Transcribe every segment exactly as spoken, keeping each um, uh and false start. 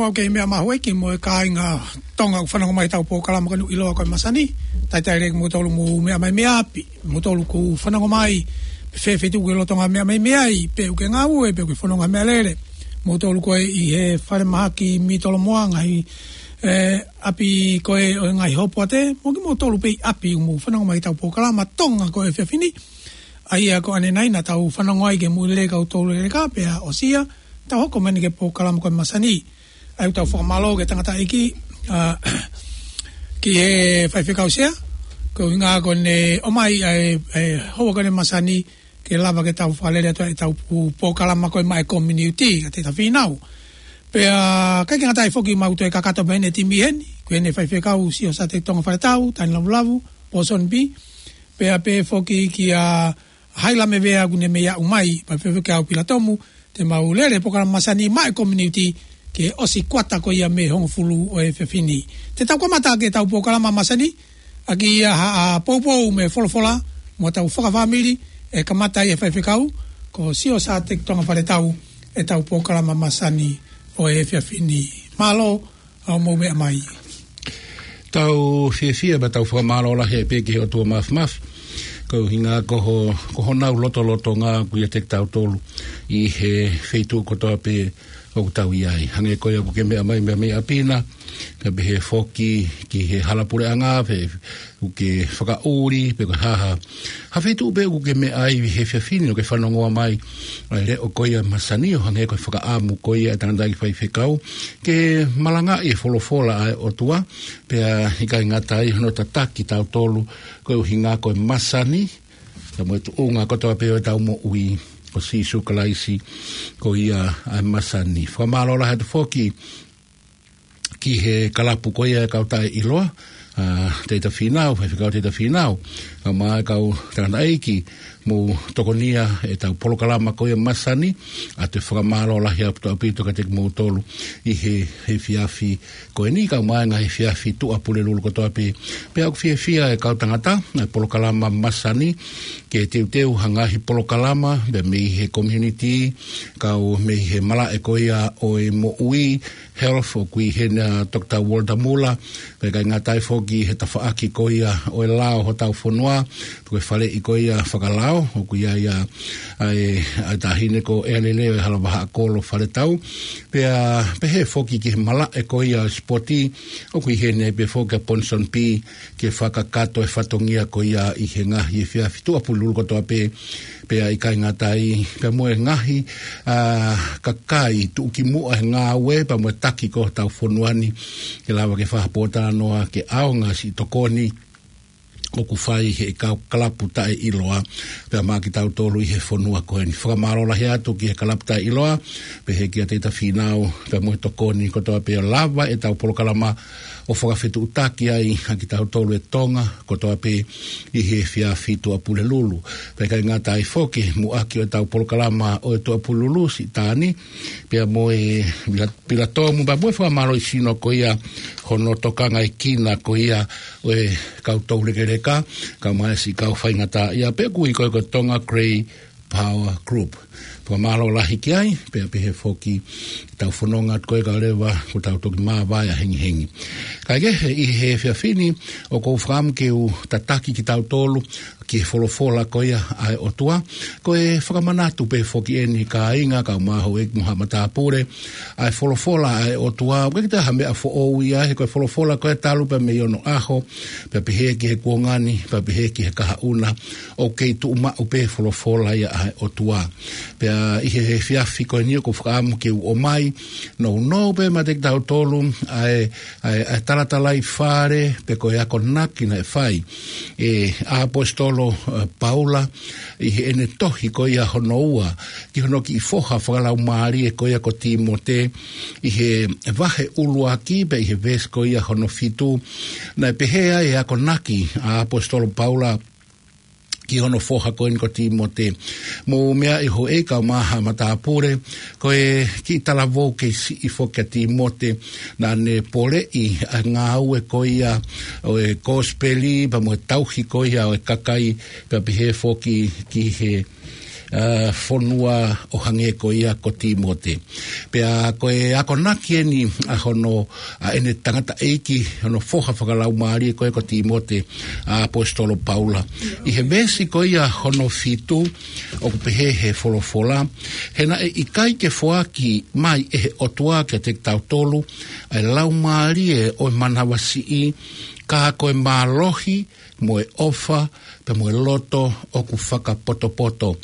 Mau kei meʻa mai houʻeiki mo e kāinga Tonga ʻoku fanongo mai ʻetau polokalama ko eni ʻiloa ko e Masani. Talitali lelei kimoutolu mou meʻa mai mei ʻapi. Moutolu ʻoku fanongo mai pe feituʻu ʻoku ke lolotonga meʻa mai mei ai, pe ʻoku ke ngāue, pe ʻoku ke fononga meʻalele. Moutolu ko ē ʻi he falemahaki mitolomoa, ngaahi, ē, ʻapi ko ē ʻo e ngaahi hopoate, mo kimoutolu pē ʻi ʻapi ʻoku mou fanongo mai ʻetau polokalama Tonga ko e efiafi ni. ʻA ia ko ʻanenai naʻa tau fanongo ai ki he moʻui lelei ʻa e kau toulekeleka pea ʻosi ia, tau hoko mai eni ki he polokalama ko e Masani. ʻA ia ʻoku tau fakamālō ki he tangataʻeiki, ā, ki he faifekau Sea, ko e ʻuhinga ko ʻene ʻomai ʻa e, ʻa e houa ko eni Masani ke lava ke tau fakalele atu ʻetau pu-, polokalama ko e maʻa e community, ka te ta fīnau. Pea ʻikai ke ngata ai foki mau toe kakato mai ʻene timi heni, ko ʻene faifekau Siosiate Tonga Faletau, Tani Lavulavu, Pōsoni Pī, pea pehē foki kia Haila Mevea ʻoku ne mei aʻu mai, pea pehē foki kia Pila Tomu, te mau lele polokalama Masani maʻa e community ki he ʻosi kuata ko ia mei he hongofulu ʻo e efiafi ni. Te tau kamata ʻaki ʻetau polokalama Masani ʻaki ʻa e, ʻa e poupou mo e folofola mo ʻetau fakafāmili, ʻe kamata ʻe he faifekau ko Siosiate Tonga Faletau ʻetau polokalama Masani ʻo e efiafi ni. Mālō hoʻomou meʻa mai. Tau fiefia pea tau fakamālō lahi pē ki he ʻOtua Māfimafi, ko e ʻuhinga ko ho-, ko honau lotolotonga ʻoku ʻiate kitautolu ʻi he feituʻu kotoa pē ʻoku tau ʻi ai. Hangē ko ia ʻoku ke meʻa mai mei, mei ʻapi na, pea pehē foki ki he hala puleʻanga, pe ʻoku ke fakaʻuli, pe ko e hā ha feituʻu pē ʻoku ke meʻa ai he efiafi ni ʻo ke fanongoa mai ʻa e leʻo ko ia Masani, ʻo hangē ko e fakaʻamu ko ia ʻa e tangataʻeiki faifekau ke malangaʻi e folofola ʻa e ʻOtua, pea ʻikai ngata ai hono tataki kitautolu, ko e ʻuhinga ko e masani, pea mo e tuʻunga kotoa pē ʻo ʻetau moʻui, ko Sīsū Kalaisi ko ia ʻa e masani. Fakamālō lahi atu foki ki he kalapu ko ia ʻa e kau taʻeʻiloa, ā, Teita Fīnau, faifekau Teita Fīnau, kae ʻumaʻā e kau tangataʻeiki, mou tokonia ʻetau polokalama ko ia Masani, ʻa e fakamālō lahi ʻaupito ʻaupito kiate kimoutolu ʻi he, he efiafi ko eni, kae ʻumaʻā e ngaahi efiafi Tuʻapulelulu kotoa pē. Pea ʻoku fiefia e kau tangata ʻa e polokalama Masani ke teuteu ha ngaahi polokalama, pea mei he community, kau mei he malaʻe ko ia ʻo e moʻui, health, ʻoku ʻi heni ʻa Doctor Walter Muller, pea ʻikai ngata ai foki he tafaʻaki ko ia ʻo e lao hotau fonua, ko e faleʻi ko ia fakalao, ʻoku ʻi ai ʻa, ʻa e, ʻa e taʻahine ko ʻEalele ʻo e Hala Vahaʻakolo Faletau, pea pehē foki ki he malaʻe ko ia ʻo e sipoti, ʻoku ʻi heni pē foki ʻa Pōsoni Pī, ke fakakakato e fatongia ko ia ʻi he ngaahi efiafi Tuʻapulelulu kotoa pē, pea ʻikai ngata ai, pea mo e ngaahi, ā, kakai tuʻukimuʻa he ngāue, pea mo e taki ko ē hotau fonua ni, ke lava ke fakapōtalanoa, ke ʻaonga siʻi tokoni ʻoku fai ʻe he kau kalapu taʻeʻiloa, pea maʻa kitautolu ʻi he fonua ko eni. Fakamālō lahi atu ki he kalapu taʻeʻiloa, pehē kia Teita Fīnau, pea mo e tokoni kotoa pē ʻo lava ʻetau polokalama ʻo fakafetuʻutaki ai ʻa kitautolu e Tonga kotoa pē ʻi he efiafi Tuʻapulelulu. Pea ʻikai ngata ai foki, muʻaki ʻo ʻetau polokalama ʻo e Tuʻapulelulu, siʻi Tani, pea mo e Pila, Pila Tomu, pea mo e fakamālohisino ko ia hono tokangaekina ko ia ʻo e kau toulekeleka, kae ʻumaʻā siʻi kau faingataʻaʻia, pea ʻoku ui ko e ko e Tonga Grey Power Group. Fakamālō lahi ki ai, pea pehē foki ki heʻetau fononga atu ko ē kae ʻoua leva kuo tau toki māvae ʻa hengihengi. Kae kehe ʻi he efiafi ni, ʻoku ou fakaʻamu ke u tataki kitautolu ki he folofola ko ia ʻa e ʻOtua, ko e fakamanatu pē foki eni kāinga, kau mai houʻeiki mo haʻa matāpule, ʻa e folofola ʻa e ʻOtua, ʻoku ʻikai ke toe ha meʻa foʻou ia, he ko e folofola ko ē talu pē mei onoʻaho, pea pehē ki he kuonga ni, pea pehē ki he kahaʻu na, ʻoku kei tuʻu maʻu pē folofola ia ʻa e ʻOtua. Pea ʻi he efiafi ko eni ʻoku ou fakaʻamu ke u ʻomai nounou pē maʻa kitautolu ʻa e, ʻa e, ʻa e talatalaifale, pe ko e akonaki naʻe fai ʻe ʻAposetolo, ē, Paula, ʻi heʻene tohi ko ia hono ua ki hono kiʻi foha fakalaumālie ko ia ko Tīmote, ʻi he vahe ʻuluaki pea ʻi he veesi ko ia hono fitu, naʻe pehē ai e akonaki ʻa ʻAposetolo Paula ki hono foha ko eni ko Tīmote. Mou meaʻi houʻeiki kau mai haʻa matāpule, ko e kiʻi talavou kei siʻi foki ʻa Tīmote, naʻa ne poleʻi ʻa e ngāue ko ia ʻo e kosipeli, pea mo e tauhi ko ia ʻo e kakai, pea pehē foki ki he ʻa, fonua ʻo hangē ko ia ko Tīmote. Pea ko e akonaki eni ʻa hono, ʻa ʻene tangataʻeiki, hono foha fakalaumālie ko ē ko Tīmote, ʻa ʻAposetolo Paula. ʻI he veesi ko ia hono fitu, ʻoku pehē he folofola: He naʻe ʻikai ke foaki mai ʻe he ʻOtua kiate kitautolu ʻa e laumālie ʻo e manavasiʻi, ka ko e mālohi, mo e ʻofa, pea mo e loto ʻoku fakapotopoto.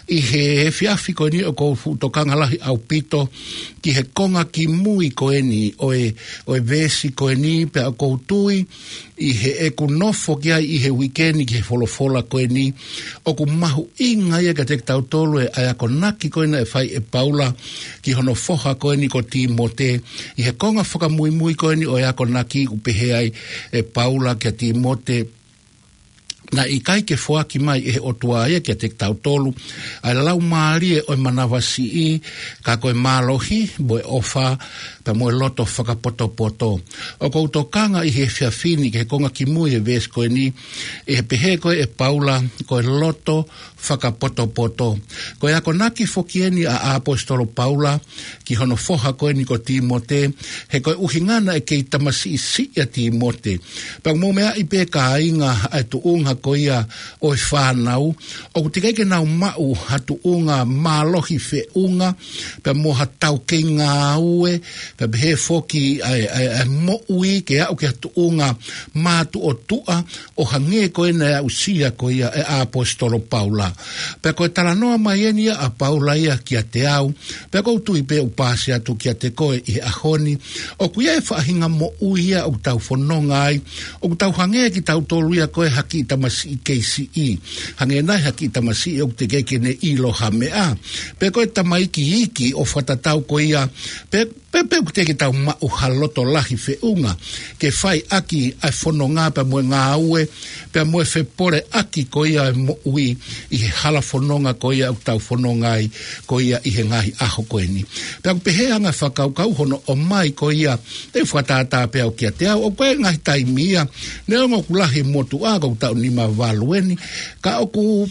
ʻI he efiafi ko eni ʻoku ou fuʻu tokanga lahi ʻaupito ki he konga kimui ko eni ʻo e, ʻo e veesi ko eni, pea ʻoku ou tui ʻi heʻeku nofo ki ai ʻi he uike ni ki he folofola ko eni, ʻoku mahuʻinga ia kiate kitautolu ʻa e akonaki ko ē naʻe fai ʻe Paula ki hono foha ko eni ko Tīmote, ʻi he konga fakamuimui ko eni ʻo e akonaki ʻoku pehē ai ʻe Paula kia Tīmote, naʻe ʻikai ke foaki mai ʻe he ʻOtua ia kiate kitautolu ʻa e laumālie ʻo e manavasiʻi, ka ko e mālohi, mo e ʻofa, pea mo e loto fakapotopoto. ʻOku ou tokanga ʻi he efiafi ni ki he konga kimui ʻo e veesi ko eni, ʻi he pehē ko ē ʻe Paula, ko e loto fakapotopoto. Ko e akonaki foki eni ʻa ʻAposetolo Paula ki hono foha ko eni ko Tīmote, he ko e ʻuhinga naʻe kei tamasiʻi siʻi ʻa Tīmote. Pea mou meaʻi pē kāinga ʻa e tuʻunga ko ia ʻo e fānau, ʻoku teʻeki ke nau maʻu ha tuʻunga mālohi feʻunga, pea mo ha tau kei ngāue, pea pehē foki ʻa e, ʻa e, ʻa e moʻui ke aʻu ki ha tuʻunga mātuʻotuʻa, ʻo hangē ko ē naʻe aʻusia ko ia ʻe ʻAposetolo Paula. Pea ko e talanoa mai eni ia ʻa Paula ia kiate au, pea ʻoku ou tui pē ʻoku pāsi atu kiate koe ʻi he ʻaho ni. ʻOku ʻi ai e faʻahinga moʻui ia ʻoku tau fononga ai, ʻoku tau hangē kitautolu ia ko e ha kiʻi tamasiʻi kei siʻi. Hangē nai ha kiʻi tamasiʻi ʻoku teʻeki ke ne ʻilo ha meʻa. Pe ko e tamaiki iiki ʻo fakatatau ko ia, pe pe, pe ʻoku teʻeki ke tau maʻu ha loto lahi feʻunga ke fai ʻaki ʻa e fononga pea mo e ngāue, pea mo e fepoleʻaki ko ia e moʻui ʻi he hala fononga ko ia ʻoku tau fononga ai ko ia ʻi he ngaahi ʻaho ko eni. Pea ʻoku pehē ʻa e anga fakakaukau hono ʻomai ko ia, te u fakatātā pē au kiate au, ʻoku ʻi ai e ngaahi taimi ia, neongo ʻoku lahi e motuʻa, ko ʻetau nima valu eni, ka ʻoku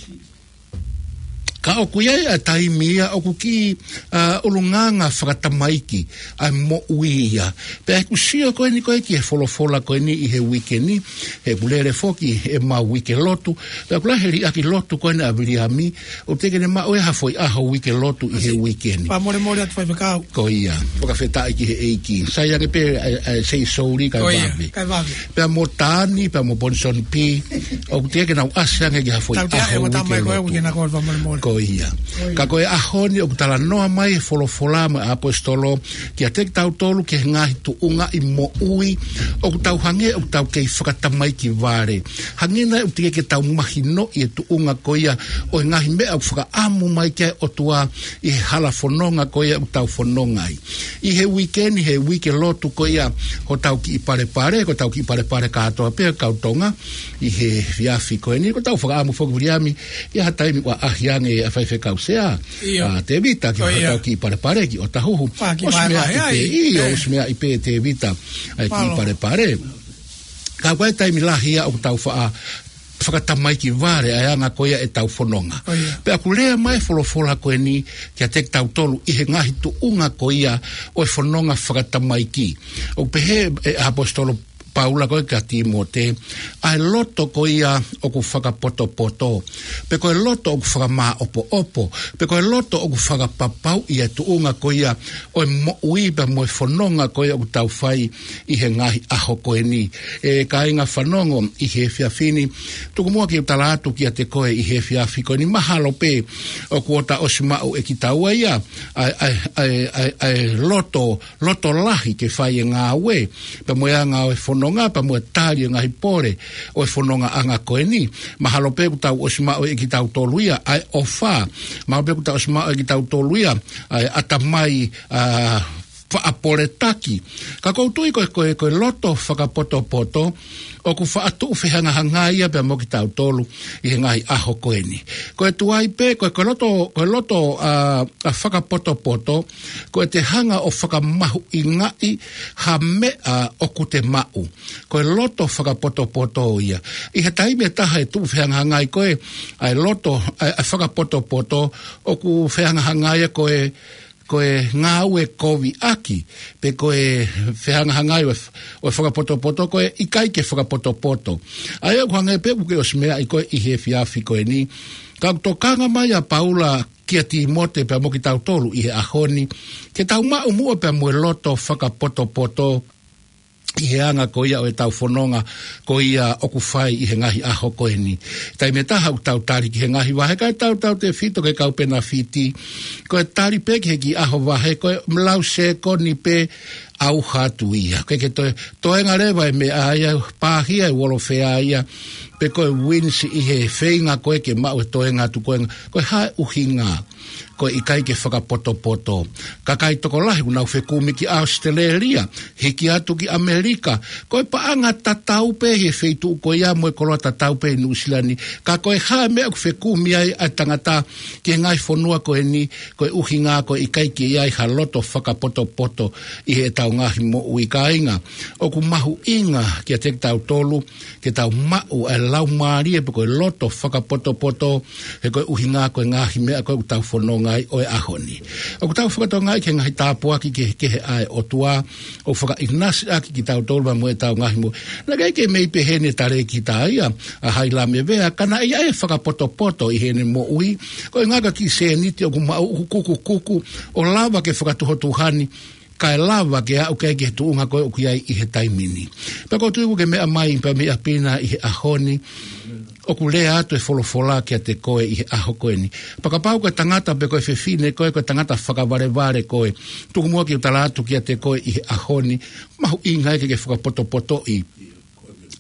ka ʻoku ʻi ai ʻa e taimi ia ʻoku kiʻi, ʻa, ʻulungaanga fakatamaiki ʻa e moʻui ia. Pea ʻi heʻeku sio ko eni ko ē ki he folofola ko eni ʻi he uike ni, he ʻoku lele foki ʻemau uike lotu, pea ʻoku lahi e liʻaki lotu ko eni ʻa Viliami, ʻoku teʻeki ke ne maʻu ʻe ia ha foʻi ʻaho uike lotu ʻi he uike ni. Fakamolemole atu faifekau. Ko ia, fakafetaʻi ki he ʻEiki. Sai ange pē ʻa e, ʻa e Sei Souli kae vave. Kae vave. Pea mo Tani, pea mo Ponisoni Pi, ʻoku teʻeki ke nau ʻasi ange ki ha foʻi ʻaho uike lotu. Ko ia. Ka ko e ʻaho ni ʻoku talanoa mai e folofola mo e ʻaposetolo kiate kitautolu ki he ngaahi tuʻunga ʻi moʻui, ʻoku tau hangē ʻoku tau kei fakatamaiki vale. Hangē nai ʻoku teʻeki ke tau mahinoʻi e tuʻunga ko ia ʻo e ngaahi meʻa ʻoku fakaʻamu mai ki ai e ʻOtua ʻi he hala fononga ko ia ʻoku tau fononga ai. ʻI he uike ni, he uike lotu ko ia hotau kiʻi palepale, ko ʻetau kiʻi palepale kātoa pē kau Tonga, ʻi he efiafi ko eni, ko ʻetau fakaʻamu foki Viliami, ʻi ha taimi ʻoku ʻaʻahi ange ʻa Faifekau Sea, ʻa Tevita, ki hotau kiʻi palepale ki ʻOtahuhu. ʻOsi meaʻi pē, ʻio, ʻosi meaʻi pē Tevita ʻa e kiʻi palepale. Ka ko e taimi lahi ia ʻoku tau faʻa fakatamaiki vale ʻa e anga ko ia ʻetau fononga. Pea ʻoku lea mai e folofola ko eni kiate kitautolu ʻi he ngaahi tuʻunga ko ia ʻo e fononga fakatamaiki. ʻOku pehē ʻe ʻAposetolo Paula ko ē kia Tīmote, ʻa e loto ko ia ʻoku fakapotopoto, pe ko e loto ʻoku fakamāʻopoʻopo, pe ko e loto ʻoku fakapapauʻi e tuʻunga ko ia ʻo e moʻui pea mo e fononga ko ia ʻoku tau fai ʻi he ngaahi ʻaho ko eni. ʻE kāinga fanongo ʻi he efiafi ni, tuku muʻa ke u tala atu kiate koe ʻi he efiafi ko eni, mahalo pē ʻoku ʻosi maʻu ʻe kitaua ia ʻa e, ʻa e, ʻa e, ʻa e, ʻa e loto, loto lahi ke fai e ngāue, pea mo e anga ʻo e fononga, pea mo e tali e ngaahi pole ʻo e fonongaʻanga ko eni. Mahalo pē kuo tau ʻosi maʻu ʻe kitautolu ia ʻa e ʻofa. Mahalo pē kuo tau ʻosi maʻu ʻe kitautolu ia ʻa e ʻatamai, ʻa, faʻa poletaki. Ka ʻoku ou tui ko e, ko e, ko e loto fakapotopoto, ʻoku faʻa tuʻu fehangahangai ia pea mo kitautolu ʻi he ngaahi ʻaho ko eni. Ko e tuai pē, ko e, ko e loto, ko e loto, ā, ʻa fakapotopoto, ko e te hanga ʻo fakamahuʻingaʻi ha meʻa ʻoku te maʻu. Ko e loto fakapotopoto ia. ʻI he taimi ʻe taha ʻe tuʻu fehangahangai ko ē, ʻa e loto, ʻa e, ʻa e fakapotopoto, ʻoku fehangahangai ia ko e, ko e ngāue koviʻaki, pe ko e fehangahangai ʻo e f-, ʻo e fakapotopoto, ko e ʻikai ke fakapotopoto. ʻA ia ʻoku hangē pē ʻoku ke ʻosi meaʻi ko ē ʻi he efiafi ko eni. Ka ʻoku tokanga mai ʻa Paula kia Tīmote pea mo kitautolu ʻi he ʻaho ni, ke tau maʻu muʻa pea mo e loto fakapotopoto, ʻi he anga ko ia ʻo e tau fononga ko ia ʻoku fai ʻi he ngaahi ʻaho ko eni. Taimi ʻe taha ʻoku tau tali ki he ngaahi vahe, kae tautautefito ki he kau penafiti. Ko e tali pē ki he kiʻi ʻaho vahe, ko e lau sekoni pē ʻauha atu ia. Ke ke toe, toenga leva e meʻa ia, pāhia e uolofea ia, pe ko e wins ʻi he feinga ko ē ke maʻu e toenga atu ko ē, ko e hā e ʻuhinga. Ko e ʻikai ke fakapotopoto. Kakai tokolahi ʻoku nau fekumi ki ʻAositelēlia, hiki atu ki ʻAmelika. Ko e paʻanga tatau pē he feituʻu ko ia mo e koloa tatau pē ʻi Nuʻusila ni. Ka ko e hā e meʻa ʻoku fekumi ai ʻa e tangata ki he ngaahi fonua ko eni, ko e ʻuhinga ko e ʻikai ke ʻi ai ha loto fakapotopoto ʻi heʻetau ngaahi moʻui, kāinga. ʻOku mahuʻinga kiate kitautolu, ke tau maʻu ʻa e laumālie pe ko e loto fakapotopoto, he ko e ʻuhinga ko e ngaahi meʻa ko ē ʻoku tau fononga ai ʻo e ʻaho ni. ʻOku tau fakatokangaʻi ki he ngaahi tāpuaki kehekehe ʻa e ʻOtua, ʻo fakaʻinasi ʻaki kitautolu pea mo ʻetau ngaahi moʻui. Naʻe ʻikai ke mei pehē ʻene talēkita ia, ʻa Hailame Vea, ka naʻe ʻi ai e fakapotopoto ʻi heʻene moʻui, ko e ngaahi kiʻi sēniti ʻoku maʻu ʻoku kukukuku, ʻo lava ke fakatuhotuhani, kae lava ke aʻu ki he tuʻunga ko ē ʻoku ʻi ai ʻi he taimi ni. Pea ʻoku ou tui ʻoku ke meʻa mai pea mei ʻapi na ʻi he ʻaho ni, ʻoku lea atu e folofola kiate koe ʻi he ʻaho ko eni. Pea kapau ko e tangata pe ko e fefine ko ē, ko e tangata fakavalevale ko ē, tuku muʻa ke u tala atu kiate koe ʻi he ʻaho ni, mahuʻinga ia ke ke fakapotopotoʻi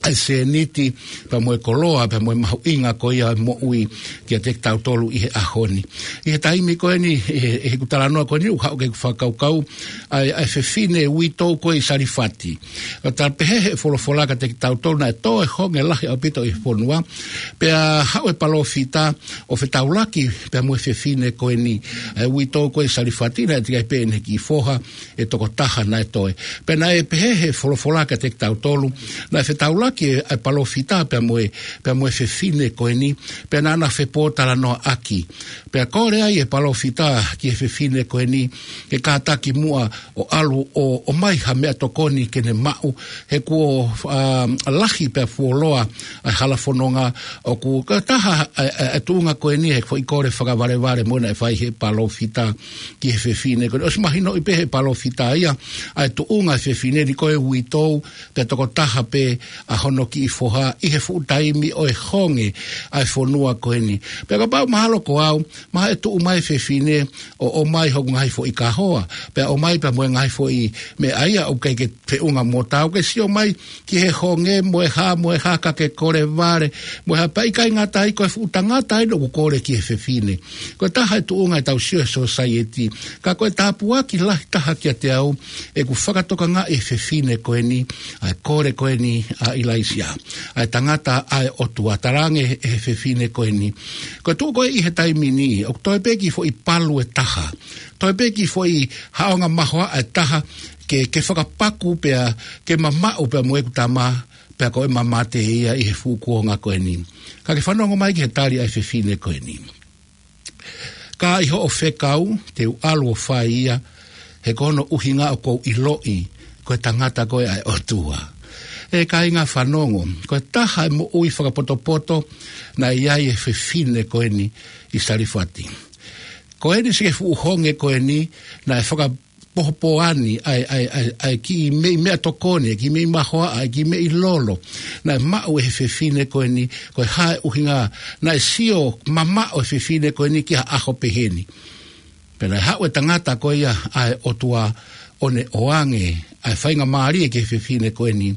ʻa e sēniti, pea mo e koloa, pea mo e mahuʻinga ko ia e moʻui kiate kitautolu ʻi he ʻaho ni. ʻI he taimi ko eni, ʻi he, ʻi heʻeku talanoa ko eni, ʻoku haʻu ke fakakaukau, ʻa e, ʻa e fefine uitou ko ē ʻi Salifati. ʻOku tala pehē he folofola kiate kitautolu naʻe tō e honge lahi ʻaupito ʻi he fonua, pea haʻu e palōfita ʻo fetaulaki, pea mo e fefine ko eni, ʻa e uitou ko ē ʻi Salifati, naʻe teʻeki ai pē ʻene kiʻi foha, ʻe tokotaha naʻe toe. Pea naʻe pehē he folofola kiate kitautolu, naʻe fetaulaki e, e palōfita pea mo e, pea mo e fefine ko eni, pea naʻa na fepōtalanoaʻaki. Pea kole ai e palōfita ki he fefine ko eni, ke kātaki muʻa ʻo ʻalu ʻo, ʻomai ha meʻatokoni ke ne maʻu, he kuo, ā, lahi pea fuoloa ʻa e hala fononga ʻoku, ko e taha ʻa e, ʻa e, ʻa e tuʻunga ko eni he foʻi kole fakavalevale mo ena ʻe fai he palōfita ki he fefine. Ko eni ʻosi mahinoʻi pē he palōfita ia, ʻa e tuʻunga e fefine ni ko e uitou, pea tokotaha pē ʻa hono kiʻi foha ʻi he fuʻu taimi ʻo e honge ʻa e fonua ko eni. Pea kapau mahalo ko au, mahalo ʻe tuʻu mai e fefine ʻo, ʻomai hoku ngaahi foʻi kahoa, pea ʻomai pea mo e ngaahi foʻi meʻa ia ʻoku ʻikai ke feʻunga mo taau ke sio mai ki he honge mo e hā, mo e hā ka ke kole vale, mo e hā pea ʻikai ngata ai ko e fuʻu tangata ʻeni ʻoku kole ki he fefine. Ko e taha e tuʻunga ʻetau sio he sōsaieti. Ka ko e tāpuaki lahi taha kiate au, ʻeku fakatokangaʻi e fefine ko eni, ʻa e kole ko eni ʻa ʻIlaisiā. ʻA e tangata ʻa e ʻOtua talaange he, he fefine ko eni. Ko e tuʻu ko ē ʻi he taimi ni, ʻoku toe pē kiʻi foʻi palu ʻe taha. Toe pē kiʻi foʻi haʻonga mahoaʻa ʻe taha, ke, ke fakapaku pea, ke mamaʻo pea mo ʻeku tama, pea ko e mamate ia ʻi he fuʻu kuonga ko eni. Ka ke fanongo mai ki he tali ʻa e fefine ko eni. Ka ʻi hoʻo fekau, te u ʻalu ʻo fai ia, he ko hono ʻuhinga ʻoku ou ʻiloʻi, ko e tangata ko ē ʻa e ʻOtua. ʻE kāinga fanongo, ko e taha e moʻui fakapotopoto, naʻe ʻi ai e fefine ko eni ʻi Salifati. Ko eni siʻi fuʻu honge ko eni, naʻe faka- pohopoani, ʻa e, ʻa e, ʻa e, ʻa e kiʻi meʻi meʻatokoni, kiʻi meʻi mahoaʻa, kiʻi meʻi lolo. Naʻe maʻu ʻe he fefine ko eni, ko e hā e ʻuhinga, naʻe sio mamaʻo e fefine ko eni ki ha ʻaho pehē ni. Pea naʻe haʻu e tangata ko ia ʻa e ʻOtua ʻo ne ʻoange, ʻa e faingamālie ki he fefine ko eni.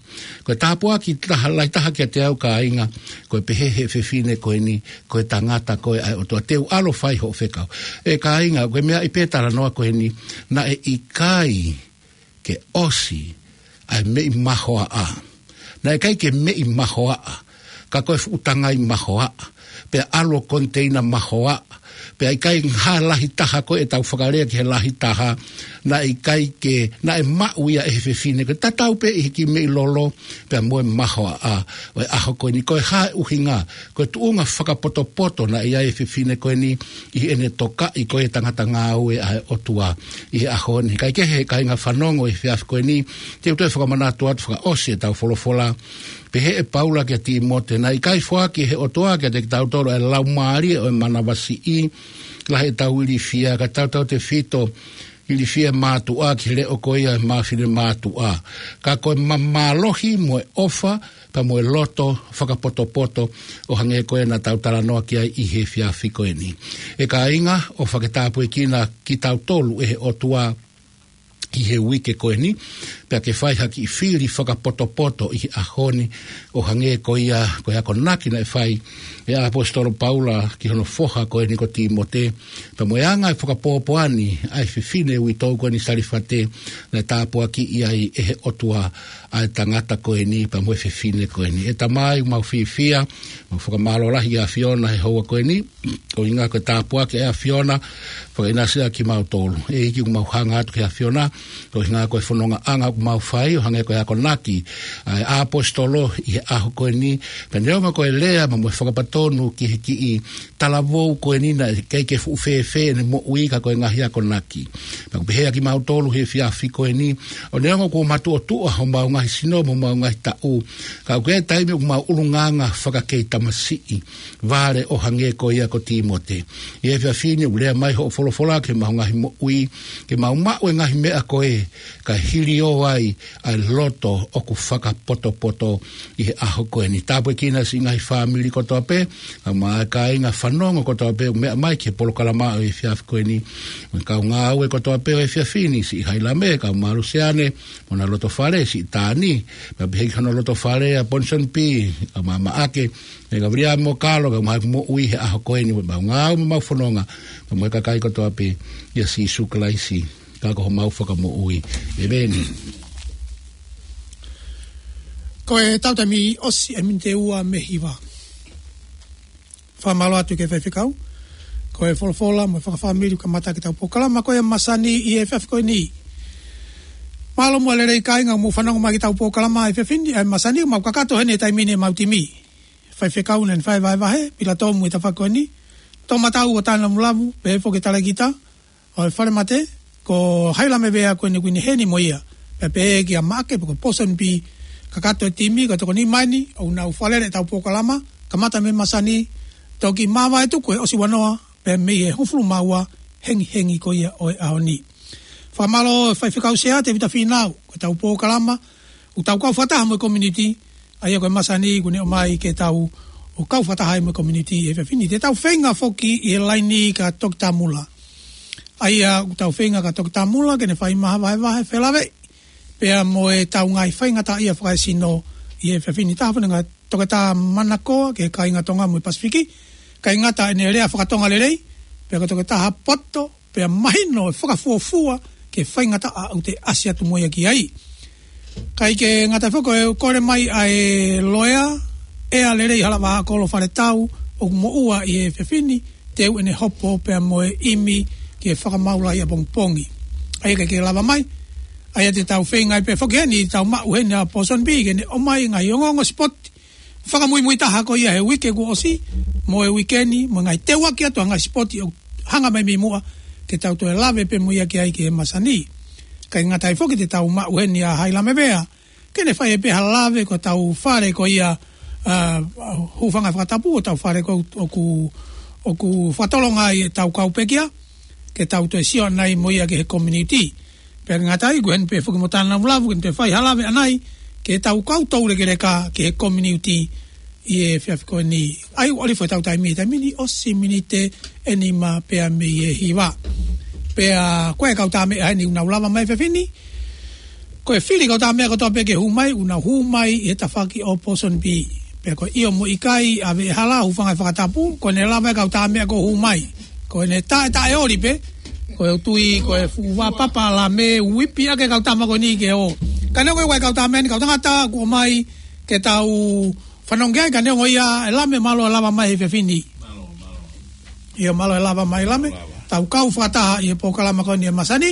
Ko e tāpuaki taha, lahi taha kiate au kāinga, ko e pehē he fefine ko eni, ko e tangata ko ē ʻa e ʻOtua te u ʻalu ʻo fai hoʻo fekau. ʻE kāinga, ko e meʻa ʻi he talanoa ko eni, naʻe ʻikai ke ʻosi, ʻa e meʻi mahoaʻa. naʻe ʻikai ke meʻi mahoaʻa, ka ko e fuʻu tangai mahoaʻa, pea ʻalu ʻo koniteina mahoaʻa, pea ʻikai ha lahi taha ko ē ʻetau fakalea ki he lahi taha, naʻe ʻikai ke, naʻe maʻu ia ʻe he fefine, ko e tatau pē ʻi he kiʻi meʻi lolo, pea mo e mahoaʻa ʻo e ʻaho ko eni. Ko e hā e ʻuhinga? Ko e tuʻunga fakapotopoto naʻe ʻi ai e fefine ko eni ʻi heʻene tokaʻi ko ē e tangata ngāue ʻa e ʻOtua ʻi he ʻaho ni. Kae kehe, kāinga fanongo ʻi he efiafi ko eni, te u toe fakamanatu atu fakaʻosi ʻetau folofola. Pehē ʻe Paula kia Tīmote, naʻe ʻikai foaki ʻe he ʻOtua kiate kitautolu ʻa e laumālie ʻo e manavasiʻi, lahi ʻetau ilifia, ka tautautefito ilifia e mātuʻa ki he leʻo ko ia ʻo e māfinemātuʻa. Ka ko e ma-, mālohi mo e ʻofa, pea mo e loto fakapotopoto ʻo hangē ko ē naʻa tau talanoa ki ai ʻi he efiafi ko eni. ʻE kāinga, ʻofa ke tāpuekina kitautolu ʻe he ʻOtua ʻi he uike ko eni, pea ke fai ha kiʻi fili fakapotopoto ʻi he ʻaho ni, ʻo hangē ko ia ko e akonaki naʻe fai ʻe he ʻaposetolo Paula ki hono foha ko eni ko Tīmote, pea mo e anga e fakapōpoani ʻa e fefine uitou ko eni Salifate, naʻe tāpuakiʻi ai ʻe he ʻOtua ʻa e tangata ko eni, pea mo e fefine ko eni. ʻE Tamai, ʻoku mau fiefia, mau fakamālō lahi ʻa e ʻAfiona he houa ko eni, ʻuhinga ko e tāpuaki ʻa e ʻAfiona, fakaʻinasi ʻa kimautolu. ʻEiki, ʻoku mau hanga atu ki he ʻAfiona, ʻuhinga ko e fonongaʻanga ʻoku mau fai, ʻo hangē ko e akonaki ʻa e ʻaposetolo ʻi he ʻaho ko eni, pea neongo ko e lea mo e fakapatonu ki he kiʻi talavou ko eni naʻe ʻikai ke fuʻu fēfē ʻene moʻui ka ko e ngaahi akonaki. Pea ʻoku pehē ʻa kimautolu he efiafi ko eni, ʻo neongo kuo matuʻotuʻa homau ngaahi sino mo homau ngaahi taʻu, ka ʻoku ʻi ai e taimi ʻoku mau ʻulungaanga fakakei tamasiʻi, vale ʻo hangē ko ia ko Tīmote. ʻI he efiafi ni ʻoku lea mai hoʻo folofola ki homau ngaahi moʻui, ke mau maʻu e ngaahi meʻa ko ē, kae hiliō ai ʻa e loto ʻoku fakapotopoto ʻi he ʻaho ko eni. Tāpuekina siʻi ngaahi fāmili kotoa pē, kae ʻumaʻā e kāinga fanongo kotoa pē ʻoku meʻa mai ki he polokalama ʻo e efiafi ko eni. Mo e kau ngāue kotoa pē ʻo e efiafi ni, siʻi Hailame, kau Malusiane, mo hona loto fale, siʻi Tani, pea pehē ki hono loto fale ʻa Ponson P, kau Mamaʻake, ʻe Gaviliami mo Kalo, kau mai moʻui he ʻaho ko eni, mo mau ngāue mo mau fononga, pea mo e kakai kotoa pē, ʻia Sīsū Kalaisi, ka ko homau Fakamoʻui. ʻEmeni. Ko e tau taimi ʻosi e miniti ʻe ua mei he hiva. Fakamālō atu ki he faifekau. Ko e folofola mo e fakafāmili kamata ki heʻetau polokalama ko ia ʻa e masani ʻi he efiafi ko eni. Mālō muʻa e lelei kāinga ʻoku mou fanongo mai ki heʻetau polokalama ʻi he efiafi ni, ʻa e masani, mau kakato heni he taimi ni ʻemau timi. Faifekau naʻa ne fai e vahevahe, Pilato mo e tafaʻaki ko eni. Toʻomataʻu ʻo Tānamulavu, pehē foki ki he talēkita ʻo e Falemate, ko Hailame Vea ko eni ʻoku ne heni mo ia. Pea pehē kia Maʻake pe ko Ponson P, kakato e timi, ka tokoni mai ni, ʻoku nau fakalele ʻetau polokalama, kamata mei he masani, toki māvae tuku he ʻosi ua noa, pea mei he hongofulu mā ua, hengihengi ko ia ʻo e ʻaho ni. Fakamālō faifekau Sea Tēvita Fīnau, ko ʻetau polokalama, ʻoku tau kau fakataha mo e community, ʻa ia ko e masani ʻoku ne ʻomai ke tau ō kau fakataha ai mo e community he efiafi ni. Te tau feinga foki ʻi he laini kia Toketā Mula. ʻA ia ʻoku tau feinga kia Toketā Mula, ke ne fai mai ha vahevahe felāveʻi pea mo ʻetau ngaahi faingataʻaʻia fakaesino ʻi he efiafi ni. Taha foki ʻa Toketā Manakoa ki he kāinga Tonga mo e Pasifiki, kae ʻikai ngata ʻene lea fakatonga lelei, pea ko e toketā poto, pea mahino e fakafuofua ki he faingataʻa ʻoku te ʻasi atu mo ia ki ai. Kae ʻikai ke ngata foki, ko e kole mai ʻa e loea, ʻEa Lelei Halavā Kolo Faletau, ʻoku moʻua ʻi he efiafi ni, teu ʻene hopo pea mo e ʻimi ki he fakamaau lahi ʻapongipongi. ʻA ia ʻikai ke lava mai, ʻa ia te tau feinga ai pē foki heni, tau maʻu heni ʻa Ponson P ke ne ʻomai e ngaahi ongoongo sipoti fakamuimui taha ko ia he uike kuo ʻosi, mo e uike ni, mo e ngaahi teuaki atu ʻa e ngaahi sipoti ʻoku hanga mai mei muʻa, ke tau toe lave pē mo ia ki ai ki he masani. Kae ʻikai ngata ai foki, te tau maʻu heni ʻa Hailame Vea, ke ne fai pē ha lave ki hotau fale ko ia, ʻa, hūfanga he fakatapu, hotau fale ko ē ʻoku, ʻoku fakatolonga ai ʻetau kau pekia, ke tau toe sio ʻanai mo ia ki he community. Pea ʻikai ngata ai, ʻoku heni pē foki mo Tānamulavu, ke ne toe fai ha lave ʻanai, ki heʻetau kau toulekeleka ki he community ʻi he efiafi ko eni. ʻA ia ʻoku ʻalu hifo ʻetau taimi, taimi ni ʻosi miniti ʻe nima pea mei he hiva. Pea ko e kau tā meʻa heni ʻoku nau lava mai he efiafi ni. Ko e fili kau tā meʻa kotoa pē ke hū mai, ʻoku nau hū mai ʻi he tafaʻaki ʻo Ponson P. Pea ko e ʻio mo e ʻikai, ʻave hala, hūfanga he fakatapu, ko ʻene lava e kau tā meʻa kuo hū mai. Ko ʻene taʻetaʻeoli pē, ko e tui, ko e fuʻu vā papa la me uipi ake kau tama ko eni ke ō. Ka neongo ko e kau tā meʻa ni, kau tangata kuo ō mai, ke tau fanongo ai, ka neongo ia, ʻe Lame, mālō e lava mai he efiafi ni. ʻIo, mālō e lava mai, Lame. Tau kau fakataha ʻi he polokalama ko eni ʻa e masani.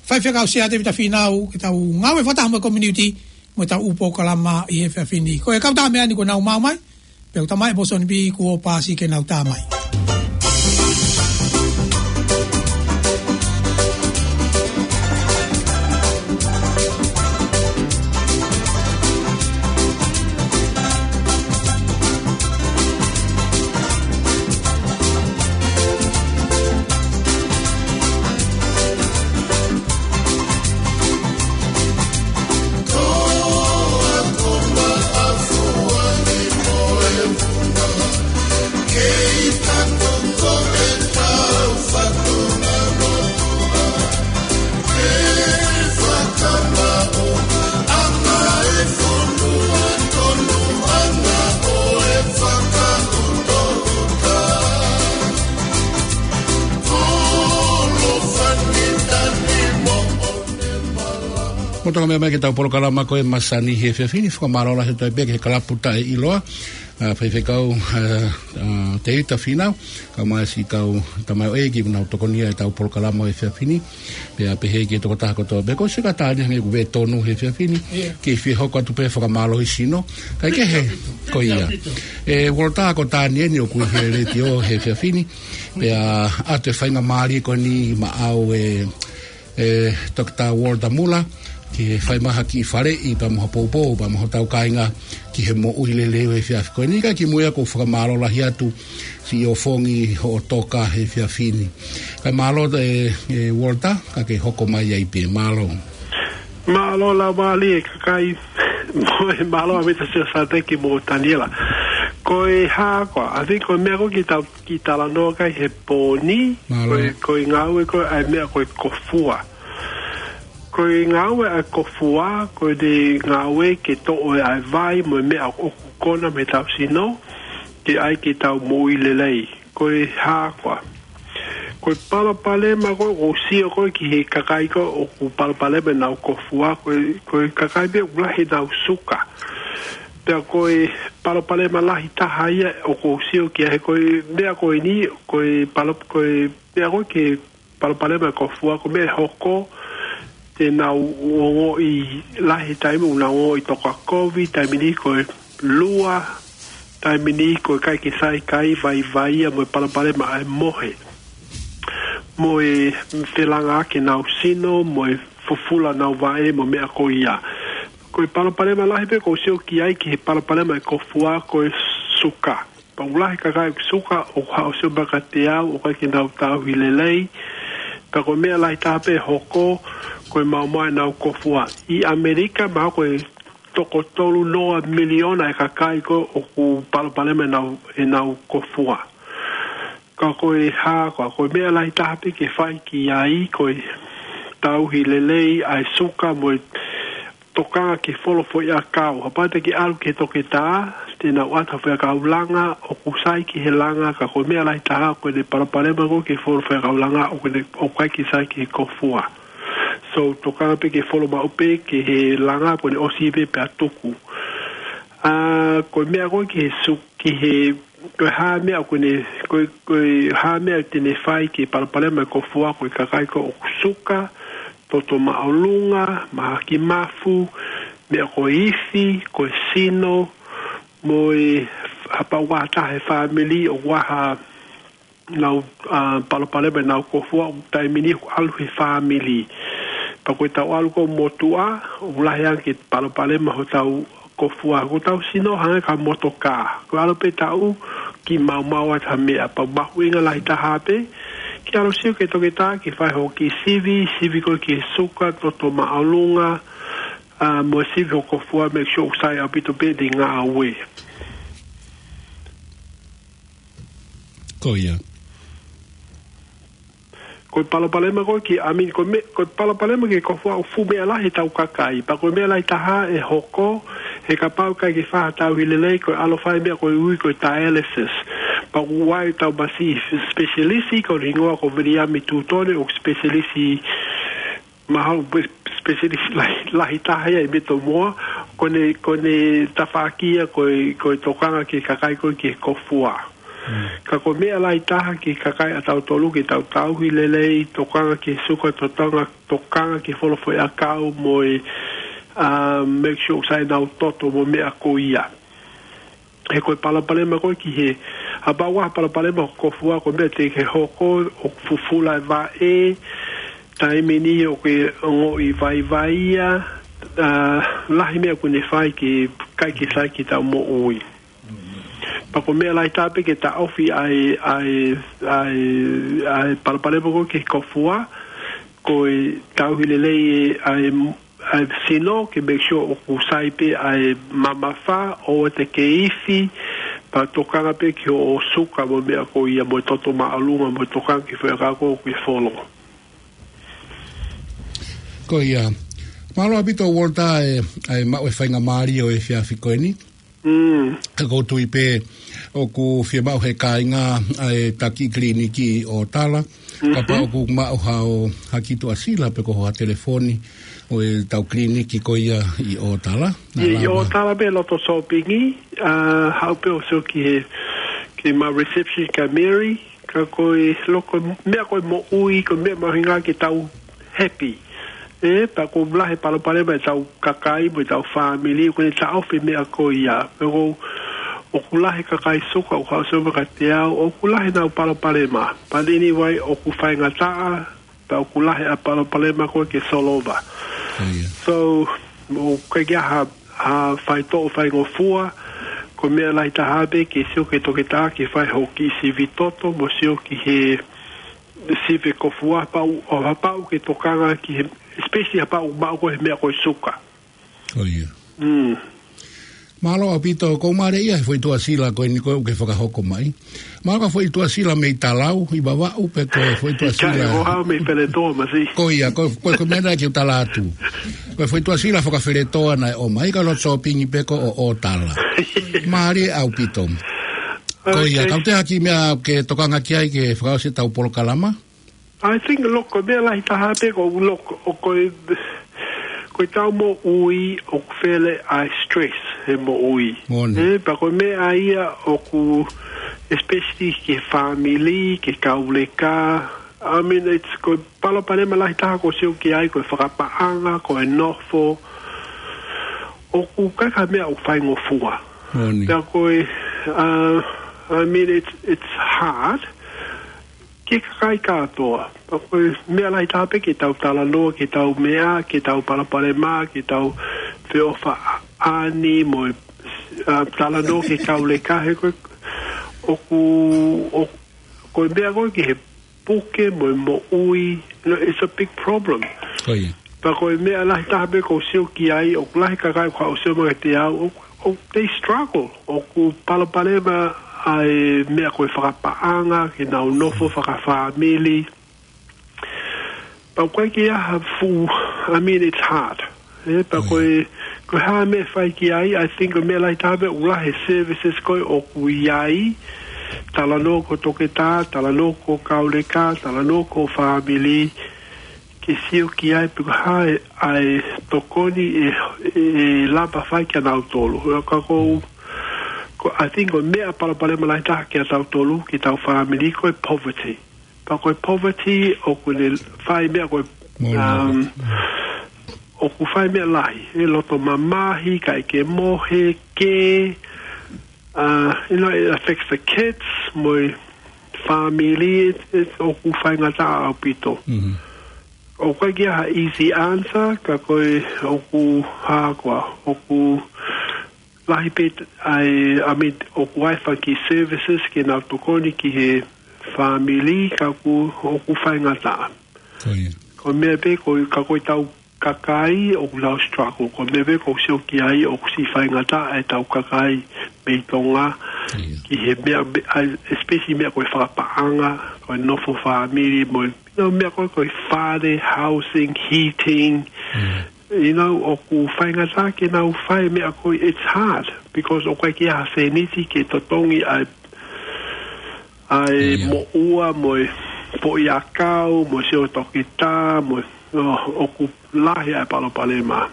Faifekau Sea Tevita Fīnau, ke tau ngāue fakataha mo e community, mo ʻetau ʻū polokalama ʻi he efiafi ni. Ko e kau tā meʻa ni kuo nau maʻu mai, pea ʻoku tala mai ʻe Pōsoni Pī kuo paasi ke nau tā mai. Mou toka mai ke tau polokalama ko e masani he efiafi ni, fakamālō lahi atu pē ki he kalapu taʻeʻiloa, ʻa, Faifekau, ʻa, ʻa, Tevita Fīnau, kae ʻumaʻā siʻi kau tamaioʻeiki kuo nau tokonia ʻetau polokalama he efiafi ni, pea pehē ki he tokotaha kotoa pē, ko e sika tāne hangē ʻoku vē tonu he efiafi ni, ke fie hoko atu pē fakamālohi sino, kae kehe, ko ia. ʻE Walter, ko Taniela ʻoku ʻi he letiō he efiafi ni, pea ʻoatu e faingamālie ko eni maʻau ʻe ʻe Toketā Walter Muller, ki he fai mai ha kiʻi faleʻi pea mo ha poupou pea mo hotau kāinga ki he moʻui lelei ʻo e efiafi ko eni. Kae kimuʻa ʻoku ou fakamālō lahi atu siʻi ʻofongi hoʻo toka he efiafi ni. Kae mālō ē, ʻe Walter, ka ke hoko mai ai pē, mālō. Mālō laumālie e kakai, mo e mālō ʻa Mita Sio Sateki mo Taniela. Ko e hā koā, I think ko e meʻa ko ē ke tau kiʻi talanoa ki ai he pō ni, ko e, ko e ngāue ko ē ʻa e meʻa ko e kofua. Ko e ngāue ʻa e kofua, ko e ngāue ke toʻo ʻa e vai mo e meʻa ʻoku kona mei heʻetau sino, ke ʻai ke tau moʻui lelei. Ko e hā koā. Ko e palopalema ko ē, ʻoku ou sio ko ē ki he kakai ko ē ʻoku palopalema ʻenau kofua, ko e, ko e kakai pē ʻoku lahi ʻenau suka. Pea ko e palopalema lahi taha ia ʻoku ou sio ki ai he ko e meʻa ko eni, ko e palo-, ko e meʻa ko ē ki he palopalema e kofua, ko e meʻa ʻe hoko, te nau ongoʻi lahi taimi, ʻoku nau ongoʻi toka kovi, taimi ni ko e lua, taimi ni ko e ʻikai ke sai kai, vaivai ia mo e palopalema ʻa e mohe. Mo e felanga ʻaki ʻenau sino, mo e fufula ʻenau vaʻe, mo e meʻa ko ia. Ko e palopalema lahi pē ʻoku ou sio ki ai ki he palopalema e kofua ko e suka. Pea ʻoku lahi kakai suka ʻoku haʻu ʻo sio mai kiate au, ʻoku ʻikai ke nau tauhi lelei. Pea ko e meʻa lahi taha pē ʻe hoko, ko e maumau ʻenau kofua. ʻI ʻAmelika, mahalo ko e toko tolu noa miliona e kakai ko ē ʻoku palopalema ʻenau, ʻenau kofua. Ka ko e hā koā, ko e meʻa lahi taha pē ke fai ki ai, ko e tauhi lelei ʻa e suka mo e tokanga ki he folo foʻiʻakau. Kapau te ke ʻalu ki he toketā, te nau ʻoatu ha foʻiʻakau langa, ʻoku sai ki he langa, ka ko e meʻa lahi taha ko ʻene palopalema ko ē ki he folo foʻiʻakau langa, ʻoku ne, ʻoku ʻikai ke sai ki he kofua. So, tokanga pē ki he folo maʻu pē ki he langa, ko ʻene ʻosi pē pea tuku. ʻA, ko e meʻa ko ē ki he su-, ki he, ko e hā meʻa ʻoku ne, ko e, ko e hā meʻa te ne fai ki he palopalema e kofua, ko e kakai ko ē ʻoku suka, toto māʻolunga, mahaki mafu, meʻa ko e ifi, ko e sino, mo e hapau ʻa ha taha he fāmili ʻoku ʻi ai haʻanau, ʻa, palopalema ʻenau kofua, taimi ni ʻoku ʻalu he fāmili. Pea ko ʻetau ʻalu ko ē motuʻa, ʻoku lahi ange ke palopalema hotau kofua, ko hotau sino hangē ko ha motokā. Ko e ʻalu pē taʻu, kiʻi maumau atu ha meʻa, pea mahuʻinga lahi taha pē ke ʻalu ʻo sio ki he toketā, ke fai hoʻo kiʻi sivi, sivi ko ē ki he suka, toto māʻolunga, ʻa, mo e sivi hoʻo kofua, make sure ʻoku sai ʻaupito pē ʻene ngāue. Ko ia. Ko e palopalema ko ē ki, I mean, ko e me-, ko e palopalema ki he kofua ʻoku fuʻu meʻa lahi ʻetau kakai. Pea ko e meʻa lahi taha ʻe hoko, he kapau ʻikai ke fai ha tauhi lelei, ko e ʻalu ʻo fai e meʻa ko ē ʻoku ui ko e dialysis. Pea ʻoku ʻi ai ʻetau masiʻi specialist, ko hono hingoa ko Viliami Tutone, ʻoku specialist, mahalo specialist lahi, lahi taha ia ʻi Metomoa, ko ʻene, ko ʻene tafaʻaki ia ko e, ko e tokanga ki he kakai ko ē ki he kofua. Ka ko e meʻa lahi taha ki he kakai ʻatautolu ke tau tauhi lelei, tokanga ki he suka, tokanga, tokanga ki he folofoʻi ʻakau mo e, uh, make sure sai ʻenau toto mo e meʻa ko ia. He ko e palopalema ko ē ki he, ʻa pau ʻa e palopalema ʻo e kofua ko e meʻa te ke hoko ʻo fufula e vaʻe, taimi ni ʻoku ke ongoʻi vaivai ia, uh, lahi meʻa ʻoku ne fai ke ʻikai ke sai ke tau moʻui. Pea ko e meʻa lahi taha pē ke taʻofi ʻa e, ʻa e, ʻa e, ʻa e palopalema ko ē ki he kofua, ko e tauhi lelei e, ʻa e, ʻa e sino ke make sure ʻoku sai pē ʻa e mamafa, ʻoua te ke ifi, pea tokanga pē ki hoʻo suka mo e meʻa ko ia mo e toto māʻolunga mo e tokanga ki he foʻi ʻakau ko ē ʻoku ke folo. Ko ia. Mālō ʻaupito Walter e, ʻa e maʻu e faingamālie ʻo e efiafi ko eni. Mm. Ka ʻoku ou tui pē ʻoku fiemaʻu ʻe he kāinga ʻa e taki kiliniki ʻi ʻOtala. Kapau ʻoku maʻu haʻo, ha kiʻi tuʻasila pe ko ha telefoni ʻo ʻetau kiliniki ko ia ʻi ʻOtala. ʻI, ʻi ʻOtala pē loto sōpingi, uh, haʻu pē ʻo sio ki he, ki he maʻu reception kia Mary, ka ko e loko meʻa ko e moʻui, ko e meʻa mahuʻinga ke tau happy. ʻE, pea ʻoku lahi e palopalema ʻetau kakai mo ʻetau fāmili, ʻoku ne taʻofi e meʻa ko ia. Pea ʻoku, ʻoku lahi e kakai suka, ʻoku haʻu ʻo sio mai kiate au, ʻoku lahi ʻenau palopalema. But anyway, ʻoku faingataʻa, pea ʻoku lahi ʻa e palopalema ko ē ke solova. So, ʻoku ʻikai ke ʻi ai ha, ha faitoʻo faingofua, ko e meʻa lahi taha pē ke sio ki he toketā ke fai hoʻo kiʻi sivi toto, mo sio ki he sivi kofua, pau, ʻo kapau ke tokanga ki he, especially kapau maʻu ko ē he meʻa ko e suka. Ko ia. Mm. Mālō ʻaupito, ʻoku ou mālieʻia he foʻi tuʻasila ko eni ko ē ʻoku ke fakahoko mai. Mahalo ko ha foʻi tuʻasila mei Talau, ʻi Vavaʻu, pe ko ha foʻi tuʻasila. ʻIkai, ʻoku ou haʻu mei Feletoa, Masi. Ko ia, ko, ko, ko e meʻa naʻe ʻikai ke u tala atu. Ko ha foʻi tuʻasila faka-Feletoa naʻe ʻomai, ka loto sōpingi pē ko ē ʻo ʻOtala. Mālieʻia ʻaupito. Ko ia, okay. Ka ʻoku ʻi ai ha kiʻi meʻa ke tokanga ki ai ke fakaʻosi ʻetau polokalama? I think, look, ko e meʻa lahi taha pē ko e, look, ʻoku, ko e, ko ʻetau moʻui ʻoku fele ʻa e stress he moʻui. Moʻoni. ʻE, pea ko e meʻa ia ʻoku, especially ki he fāmili, ki he kauleka. I mean, it's, ko e palopalema lahi taha ʻoku sio ki ai, ko e fakapaʻanga, ko e nofo. ʻOku ʻikai ko ha meʻa ʻoku faingofua. Moʻoni. Pea ko e, uh, I mean, it's, it's hard. Ki he kakai kātoa. Pea ko e meʻa lahi taha pē ke tau talanoa, ke tau meʻa, ke tau palopalema, ke tau feʻofaʻani, mo e, uh, talanoa ki he kauleka he ko e, ʻoku, ʻo, ko e meʻa ko ē ki he puke mo e moʻui, you know, it's a big problem. Ko ia. Pea ko e meʻa lahi taha pē ʻoku ou sio ki ai, ʻoku lahi e kakai ʻoku haʻu ʻo sio mai kiate au, ʻoku, ʻoku they struggle, ʻoku palopalema ʻa e meʻa ko e fakapaʻanga, ke nau nofo fakafāmili. Pea ʻoku ʻikai ke ʻi ai ha fuʻu, I mean, it's hard. ʻE, pea ko e, ko e hā e meʻa ʻe fai ki ai, I think ko e meʻa lahi taha pē ʻoku lahi e services ko ē ʻoku ʻi ai, talanoa ki he toketā, talanoa ki he kauleka, talanoa ki he fāmili, ke sio ki ai pe ko e hā e, ʻa e tokoni ʻe, ʻe lava fai kia nautolu. Ka ʻoku, ko, I think ko e meʻa palopalema lahi taha kia tautolu, ki heʻetau fāmili, ko e poverty. Pea ko e poverty, ʻoku ne fai meʻa ko e, Moʻoni. um, ʻoku fai meʻa lahi, ʻe loto mamahi, ʻikai ke mohe, ke, uh, you know, it affects the kids, mo e fāmili, it, it, ʻoku faingataʻa ʻaupito. Mhm. ʻOku ʻikai ke ʻi ai ha easy answer, ka ko e ʻoku hā koā, ʻoku lahi pē ʻa e, I mean, ʻoku ʻi ai e fanga kiʻi services ke nau tokoni ki he fāmili, ka ʻoku, ʻoku faingataʻa. Ko ia. Ko e meʻa pē, ko, ka ko ʻetau kakai, ʻoku nau struggle. Ko e meʻa pē ʻoku ou sio ki ai, ʻoku siʻi faingataʻa ʻetau kakai mei Tonga. Ia. Ki he meʻa, meʻa, especially meʻa ko e fakapaʻanga, ko e nofo fāmili, mo e, you know, meʻa ko e, ko e fale, housing, heating, Mm. you know, ʻoku faingataʻa ke nau fai e meʻa ko ē, it's hard, because ʻoku ʻikai ke ʻi ai ha sēniti ke totongi ʻa e, ʻa e Ia. moʻua, mo e foʻi ʻakau, mo e sio toketā, mo e, ʻo, ʻoku lahi ʻa e palopalema.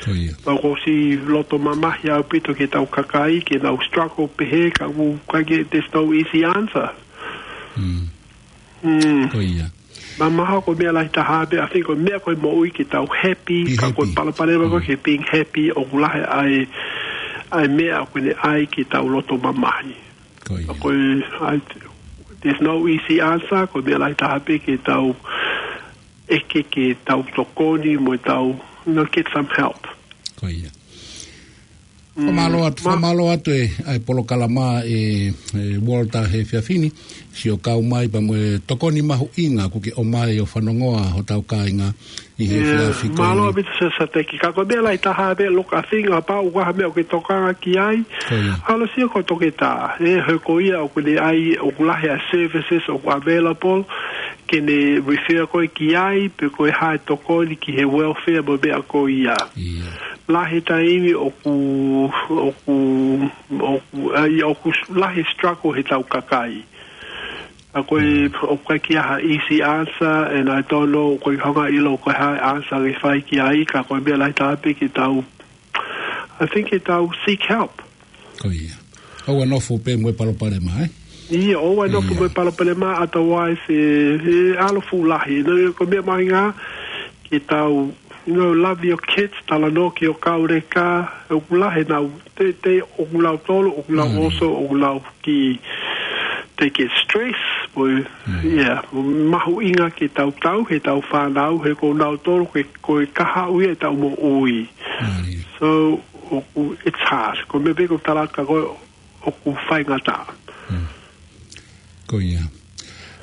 Ko ia. Pea ʻoku ou ʻosi loto mamahi ʻaupito ki heʻetau kakai, ke nau struggle pehē, ka ʻoku ʻikai ke, there's no easy answer. Mm. Mm. Ko ia. Mamaha ko e meʻa lahi taha pē, I think ko e meʻa ko e moʻui ke tau happy, Be ka ko e happy. palopalema ko e Mm. ke being happy, ʻoku lahi ʻa e, ʻa e meʻa ʻoku ne ʻai ke tau loto mamahi. Ko ia. Ko e, I, there's no easy answer, ko e meʻa lahi taha pē ke tau ʻeke ke tau tokoni mo tau, you know, get some help. Ko ia. Mm, Fakamālō atu, ma- fakamālō atu e, ʻa e polokalama ē, ē, Walter he efiafi ni, siʻo kau mai pea mo e tokoni mahuʻinga kuo ke ʻomai ʻo fanongoa hotau kāinga ʻi he Yeah, efiafi ko mālō eni. ʻaupito Siaosi Sateki. Ka ko e meʻa lahi taha pē, look, I think kapau ʻoku ʻi ai ha meʻa ʻoku ke tokanga ki ai, Ko ia. ʻalu ʻo sio ki ho toketā. Ē, he ko ia ʻoku ne ʻai, ʻoku lahi ʻa e services ʻoku available, ke ne refer koe ki ai, pe ko e hā e tokoni ki he welfare mo e meʻa ko ia. Ia. Lahi taimi ʻoku, ʻoku, ʻoku, ʻa ia ʻoku lahi struggle heʻetau kakai. ʻA ko e, Mm. ʻoku ʻikai ke ʻi ai ha easy answer, and I don't know, ʻoku ʻikai ke u hanga ʻo ʻilo ko e hā e answer ke fai ki ai, ka ko e meʻa lahi taha pē ke tau, I think ke tau seek help. Ko ia. ʻOua nofo pē mo e palopalema, ē? Ia, ʻoua nofo Ia. mo e palopalema, otherwise, ē, ē, ʻalu fuʻu lahi. No, ko e meʻa mahuʻinga, ke tau, you know, love your kids, talanoa ki ho kauleka, ʻoku lahi ʻenau, te, te, ʻoku nau tolo, ʻoku nau Mm. oso, ʻoku nau ki, they get stress, ʻo, Mm. yeah, mahuʻinga ke tau tauhi ʻetau fānau, he ko nautolu ko e, ko e kahaʻu ia ʻetau moʻui. Mm. So, ʻoku, it's hard. Ko e meʻa pē ʻoku ou tala atu kia koe, ʻoku faingataʻa. Mm. Ko ia.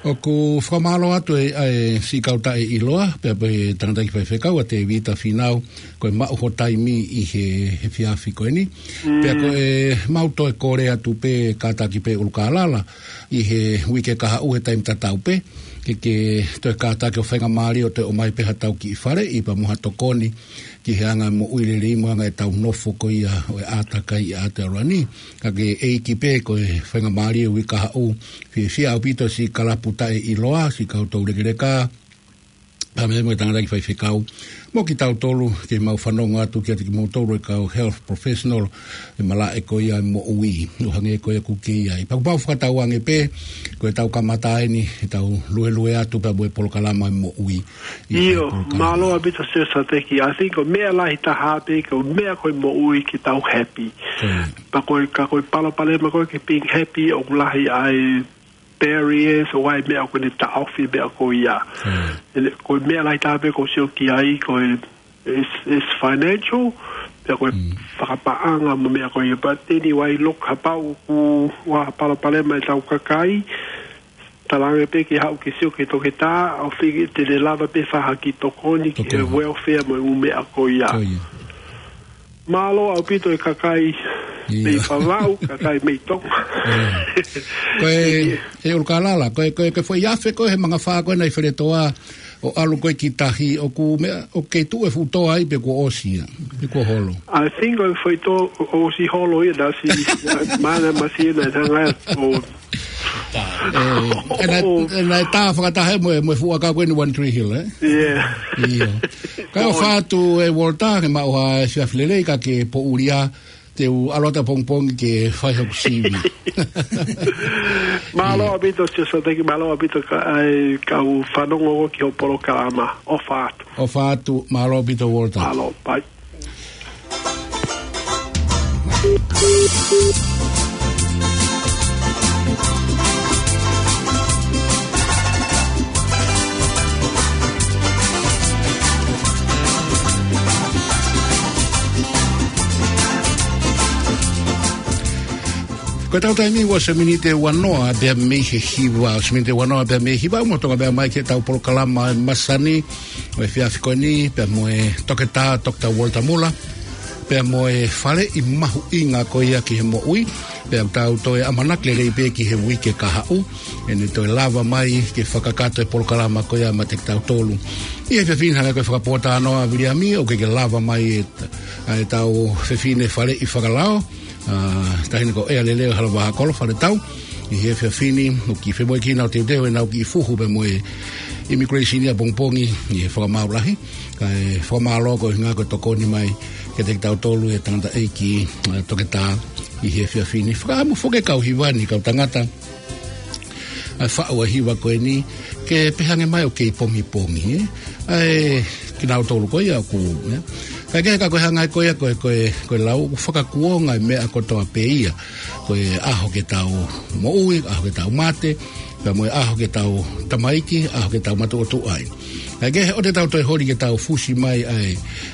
ʻOku fakamālō atu e, ʻa e siʻi kau taʻeʻiloa, pea mo e tangataʻeiki faifekau ʻa Tēvita Fīnau, ko e maʻu ho taimi ʻi he, he efiafi ko eni. Mm. Pea ko e mau toe kole atu pē kātaki pē ʻUlukālala, ʻi he uike kahaʻu he taimi tatau pē, ke, ke toe kātaki ʻo faingamālie ʻo toe ʻomai pē haʻatau kiʻi faleʻi pea mo ha tokoni ki he anga moʻui lelei mo e anga ʻetau nofo ko ia ʻo e ʻātakai ʻi Aotearoa ni. Ka ko e ʻEiki pē ko e faingamālie uike kahaʻu, fiefia ʻaupito siʻi kalapu taʻeʻiloa, siʻi kau toulekeleka, pea mo e tangataʻeiki faifekau, mo kitautolu ke mau fanongo atu kiate kimoutolu e kau health professional, e malaʻe ko ia e moʻui, ʻo hangē ko ia ʻoku ke ʻi ai. Pea ʻoku mau fakatauange pē, ko ʻetau kamata eni, ʻetau luelue atu pea mo e polokalama e moʻui. ʻIo, mālō ʻaupito Siaosi Sateki. I think ko e meʻa lahi taha pē, ko e meʻa ko e moʻui ke tau happy. Mm. Pea ko e, ka ko e palopalema ko e ke being happy, ʻoku lahi ʻa e barriers, ʻoku ʻi ai e meʻa ʻoku ne taʻofi e meʻa ko ia. Mm. Ele, ko e meʻa lahi taha pē ʻoku ou sio ki ai, ko e, it's, it's financial, pea ko e Mm. fakapaʻanga mo e meʻa ko ia. But anyway, look, kapau ʻoku ʻi ai ha palopalema ʻetau kakai, talaange pē ke haʻu ke sio ki he toketā, ʻo fiki te ne lava pē ʻo fai ha kiʻi tokoni ki he Tokoni. welfare mo e ʻū meʻa ko ia. Ko ia. Mālō ʻaupito e kakai Ia. mei Vavaʻu, kakai mei Tonga. Ia. Ko e, ʻe ʻUlukālala, ko e, ko e, ko e foʻi afe ko ē he mangafā ko ē naʻe ʻi Feletoa, ʻo ʻalu ko ē ki tahi, ʻoku meʻa, ʻoku kei tuʻu e fuʻu toa ai pe kuo ʻosi ia, pe kuo holo. I think ʻoku foʻi toa ʻo, ʻosi holo ia, naʻe ʻosi, mana masi ia naʻe hanga ʻo ʻE, ʻe naʻe, ʻe naʻe tā fakataha mo e, mo e fuʻu ʻakau ko eni One Tree Hill, ē? Yeah. ʻIo. Kae ʻofa atu ʻe Walter, ke maʻu ha efiafi lelei ka ke poʻuli ā, te u ʻalu atu ʻapongipongi ke fai hoku sivi. Mālō ʻaupito, Siaosi Sateki, mālō ʻaupito ka, ʻa e kau fanongo ki hoʻo polokalama. ʻOfa atu. ʻOfa atu, mālō ʻaupito, Walter. Mālō, bye. Ko ʻetau taimi ʻoku ʻosi e miniti ʻe uanoa pea mei he hiva, ʻosi e miniti ʻe uanoa pea mei he hiva, ʻoku mau toka pē mai ki heʻetau polokalama e masani, ʻo e efiafi ko eni, pea mo e toketā, Doctor Walter Muller, pea mo e faleʻi mahuʻinga ko ia ki he moʻui, pea ʻoku tau toe ʻamanaki lelei pē ki he uike kahaʻu, ʻe ne toe lava mai ke fakakakato e polokalama ko ia maʻa kitautolu. ʻI he efiafi ni hangē ko e fakapōtalanoa ʻa Viliami, ʻoku ʻikai ke lava mai e, ʻa ʻetau fefine faleʻi fakalao, ʻa, taʻahine ko ʻEa Leleo Halavahakolo Faletau. ʻI he efiafi ni, ʻoku kiʻi femoʻuekina ʻo teuteu ʻenau kiʻi fuhu pea mo e immigration ʻapongipongi, ʻi he fakamaau lahi, kae fakamālō koeʻuhinga ko e tokoni mai kiate kitautolu e tangataʻeiki, ē, toketā ʻi he efiafi ni. Fakaʻamu foki e kau hiva ni, kau tangata, ʻa e faʻu e hiva ko eni, ke pehē mai ʻoku kei pongipongi, ē? ʻA e kinautolu ko ia ʻoku, ē? Kae kehe ka ko e hanga ko ia ko e, ko e, ko e lau ʻoku fakakuonga e meʻa kotoa pē ia. Ko e ʻaho ke tau moʻui, ʻaho ke tau mate, pea mo e ʻaho ke tau tamaiki, ʻaho ke tau matuʻotuʻa ai. Kae kehe ʻoua te tau toe holi ke tau fusi mai ʻa e,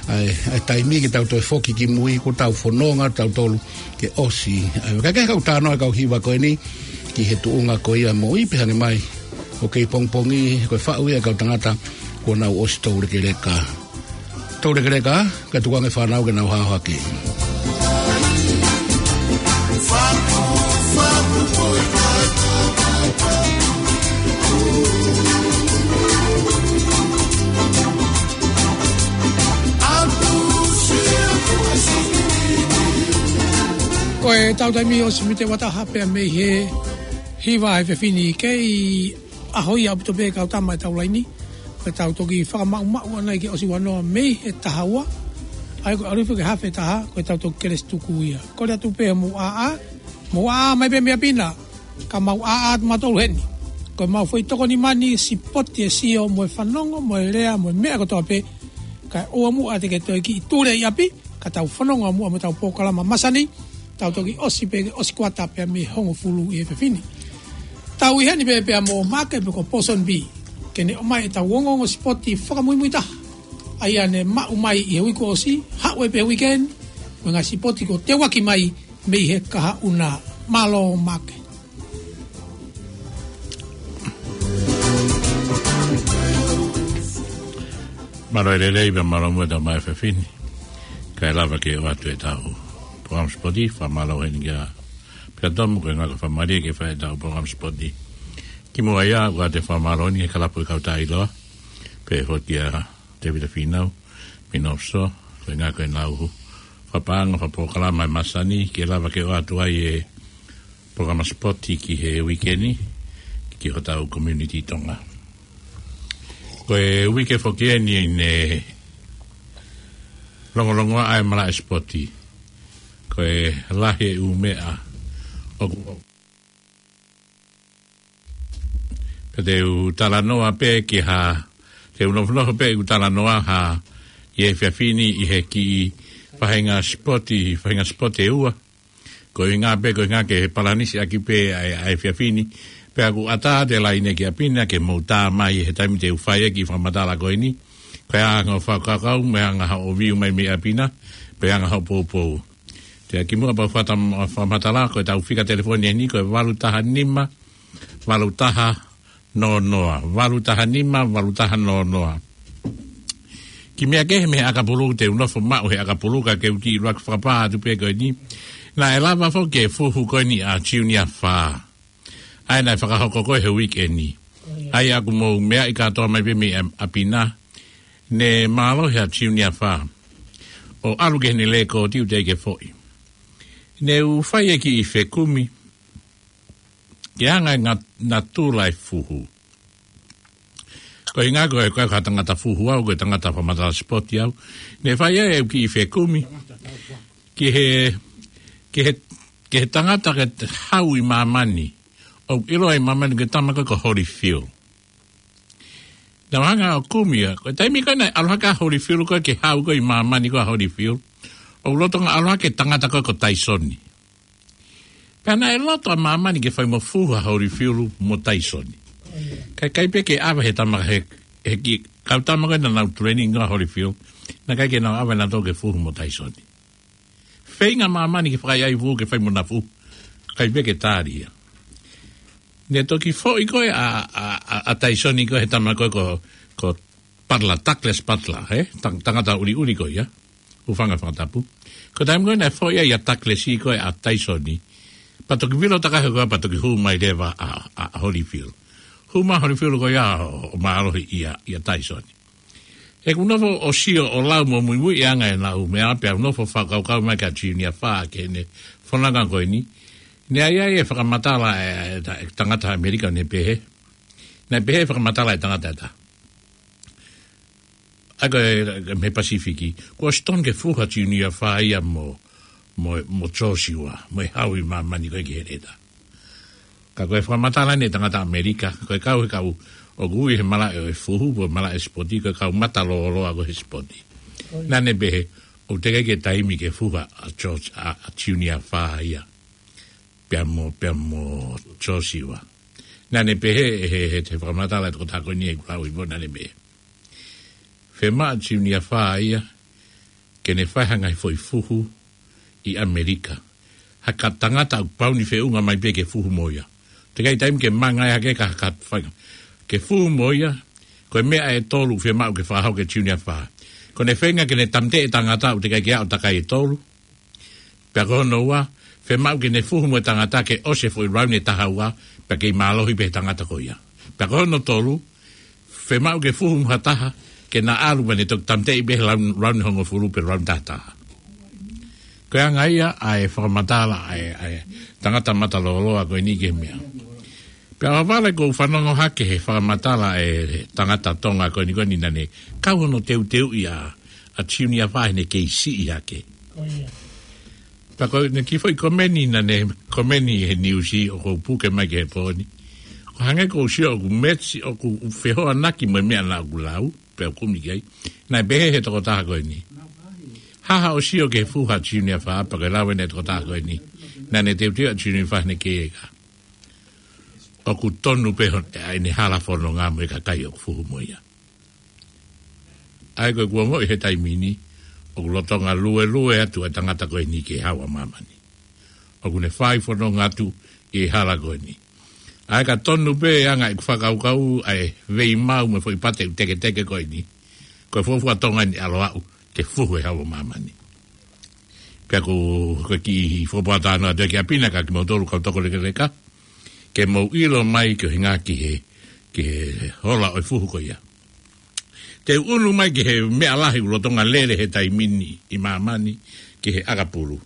ʻa e, ʻa e taimi ke tau toe foki ki mui, kuo tau fononga tautolu ke ʻosi. ʻA e, kae kehe ka ʻoku talanoa e kau hiva ko eni ki he tuʻunga ko ia moʻui, pehē ange mai ʻoku kei pongipongi, ko e faʻu ia e kau tangata kuo nau ʻosi toulekeleka. Toulekeleka, kae tuku ange e fānau ke nau hao hake. Ko e tau taimi ʻosi mite ua taha pea mei he hiva he efiafi ni, kei ʻaho ia ʻaupito pē kau tama e tau laini. Ko e tau toki fakamaʻumaʻu ʻanai ke ʻosi ua noa mei he taha ua. ʻA ia ko e ʻalu hifo ki he hafe taha, ko e tau toki kelesi tuku ia. Kole atu pē mou ʻāʻā, mou ʻāʻā mai pē mei ʻapi na, ka mou ʻāʻā atu mautolu heni. Ko e mau foʻi tokoni mani, sipoti e sio, mo e fanongo, mo e lea, mo e meʻa kotoa pē. Kae ʻoua muʻa te ke toe kiʻi tule ʻi ʻapi, ka tau fononga muʻa mo e tau polokalama masani, tau toki ʻosi pē, ʻosi kuata pea mei he hongofulu ʻi he efiafi ni. Tau ʻi heni pē pea mo Maʻake pe ko Pōsoni Pī, ke ne ʻomai e tau ongoongo sipoti fakamuimui taha. ʻA ia ne maʻu mai ʻi he uike kuo ʻosi, haʻu ai pē he uike ni, mo e ngaahi sipoti kuo teuaki mai mei he kahaʻu na. Mālō Maʻake. Mālō e lelei pea mālō muʻa e tau mai he efiafi ni. Kae lava ke ʻoatu e tau polokalama sipoti, fakamālō heni kia Pea Tomu ko e ngaahi fakamālō ke fai e tau polokalama sipoti. Kimuʻa ia, ʻoatu e fakamālō ni he kalapu e kau taʻeʻiloa, pehē foki kia Tēvita Fīnau, Mino Fusō, ko e ngaahi ko e nau fakapaʻanga, fakapolokalama e masani, ke lava ke ʻoatu ai e polokalama sipoti ki he uike ni, ki hotau community Tonga. Ko e uike foki eni ne longolongoaʻa e malaʻe sipoti. Ko e lahi e ʻū meʻa ʻoku, pea te u talanoa pē ki ha, te u nofonofo pē ʻeku talanoa ha, ʻi he efiafi ni ʻi he kiʻi faʻahinga sipoti, faʻahinga sipoti ʻe ua. Ko e ʻuhinga pē, ko e ʻuhinga ke palanisi ʻaki pē ʻa e, ʻa e efiafi ni. Pea ʻoku ʻatā atu e laine ki ʻapi na ke mou tā mai he taimi te u fai e kiʻi fakamatala ko eni. Ko e anga hoʻo fakakaukau, mo e anga hoʻo view mai mei ʻapi na, pe anga hoʻo poupou. Te u kimuʻa pea u fata-, fakamatala, ko e tau fika telefoni eni, ko e valu taha nima, valu taha noa noa, valu taha nima, valu taha noa noa. Kiʻi meʻa kehe mei he ʻakapulu, te u nofo maʻu he ʻakapulu, ka ke u kiʻi ʻuluaki fakapā atu pē ko eni. Naʻe lava foki e fuhu ko eni ʻa Junior Fā. ʻA ia naʻe fakahoko ko ē he uike ni. ʻA ia ʻoku mou meaʻi kātoa mai pē mei ʻapi na. Ne mālohi ʻa Junior Fā. ʻO ʻalu ki heʻene lēkooti ʻoku teʻeki ke foʻi. Ne u fai e kiʻi fekumi. Ke anga e ngat-, natula e fuhu. Ko e ʻuhinga ko e, ko e ka tangata fuhu au, ko e tangata fakamatala sipoti au. Ne fai ai e kiʻi fekumi. Ki he, ki he, ki he tangata ke hau ʻi māmani. ʻOku ʻiloa ʻi māmani ko e tama ko ē ko Holyfield. Naʻa ku hanga ʻo kumi ia, ko e taimi ko ē naʻe ʻalu hake ʻa Holyfield ko ē ke hau ko ē ʻi māmani ko ē ʻa Holyfield. ʻOku lolotonga ʻalu hake e tangata ko ē ko Taisoni. Pea naʻe loto ʻa māmani ke fai mo fuhu ʻa Holyfield mo Taisoni. Kae ʻikai pē ke ʻave he tama he, he kiʻi kau tama ko ē naʻa nau training ʻa Holyfield. Naʻe ʻikai ke nau ʻave nautolu ke fuhu mo Taisoni. Feinga māmani ke fakaʻaiʻai fuhu ke fai mo na fuhu. ʻIkai pē ke tali ia. Ne toki foʻi ko ē ʻa, ʻa, ʻa, ʻa Taisoni ko ē he tama ko ē ko, ko Butler, Douglas Butler, he? Tang-, tangata ʻuliʻuli ko ia. Hūfanga he fakatapu. Ko e taimi ko ē naʻe foʻi ai ʻa Douglas ko ē ʻa Taisoni. Pea toki vilo takahi ko ē pea toki hū mai leva ʻa, ʻa, ʻa Holyfield. Hū mai Holyfield ko ia ʻo, ʻo mālohi ʻia, ʻia Taisoni. ʻOku ou nofo ʻo sio ʻo lau mo muimui ʻi he anga ʻenau meʻa pea u nofo fakakaukau mai kia Junior Fā ki heʻene fononga ko eni. Ne ʻi ai e fakamatala e, e, e tangata ʻAmelika ne pehē. Naʻe pehē e fakamatala e tangata ʻe taha. ʻA ia ko e, mei he Pasifiki, kuo ʻosi tonu ke fuhu ha Junior Fā ia mo, mo, mo Josiua, mo e haʻu ʻi māmani ko ē ki he leta. Ka ko e fakamatala eni ʻa e tangata ʻAmelika, ko e kau he kau ʻoku ui he malaʻe ʻo e fuhu, pe malaʻe sipoti, ko e kau mata lōloa ko ē he sipoti. Naʻa ne pehē, ʻoku teʻeki ke taimi ke fuhu ʻa George, ʻa, ʻa Junior Fā ia. Pea mo, pea mo Josiua. Naʻa ne pehē, he, he, he fakamatala ʻa e tokotaha ko eni ʻoku lau ʻi muʻa, naʻa ne pehē, fiemaʻu ʻa Junior Fā ia, ke ne fai ha ngaahi foʻi fuhu ʻi ʻAmelika. Ha ka tangata ʻoku pau ni feʻunga mai pē ke fuhu mo ia. Teʻeki ai taimi ke manga ia ke ka, ka fai. Ke fuhu mo ia, ko e meʻa ʻe tolu fiemaʻu ke fakahoko ʻe Junior Fā. Ko ʻene feinga ke ne tāmateʻi e tangata ʻoku teʻeki ai ke aʻu takai ʻe tolu. Pea ko hono ua, fiemaʻu ke ne fuhu mo e tangata ke ʻosi e foʻi rauni ʻe taha ua, pea kei mālohi pē he tangata ko ia. Pea ko hono tolu, fiemaʻu ke fuhu mo ha taha, ke na ʻalu pea ne toki tāmateʻi pē he raun-, rauni hongofulu pe rauni taha taha. Ko e anga ia ʻa e fakamatala ʻa e, ʻa e tangata mata lōloa ko eni ki he meʻa. Pea ʻohovale ʻoku ou fanongo hake he fakamatala ʻa e tangata Tonga ko eni ko eni naʻa ne kau hono teuteuʻi ʻa, ʻa Junior Fā heʻene kei siʻi hake. Ko ia. Pea ko ʻene kiʻi foʻi komeni naʻa ne komeni he niusi ʻoku ou puke mai ki he pō ni. ʻOku hangē ʻoku ou sio ʻoku meesi ʻoku fehoanaki mo e meʻa naʻa ku lau, pea u kumi ki ai. Naʻe pehē he tokotaha ko eni. Haʻu ʻo sio ki he fuhu ʻa Junior Fā, pea ko e lau eni ʻa e tokotaha ko eni. Naʻa ne teuteu ʻa Junior Fā heʻene kei eka. ʻOku tonu pē hono, ʻa ʻene hala fononga mo e kakai ʻoku fuhu mo ia. ʻA ia ko e kuo ongoʻi he taimi ni, ʻoku lolotonga luelue atu ʻa e tangata ko eni ki he haʻu ʻa māmani. ʻOku ne fai fononga atu ʻi he hala ko eni. ʻA ia ka tonu pē ʻa e anga ʻeku fakakaukau ʻa e veimau mo e foʻi pate ʻoku teketeke ko eni. Ko e fuofua Tonga eni ʻalu ʻo aʻu ke fuhu e haʻu ʻa māmani. Pea ko, ko e kiʻi fakapoa talanoa atu ki ʻapi na kia kimoutolu kau toko lekeleka. Ke mou ʻilo mai ki he ngaahi ki he, ki he hola ʻo e fuhu ko ia. Te u ʻunu mai ki he meʻa lahi ʻoku lolotonga lele he taimi ni ʻi māmani ki he ʻakapulu.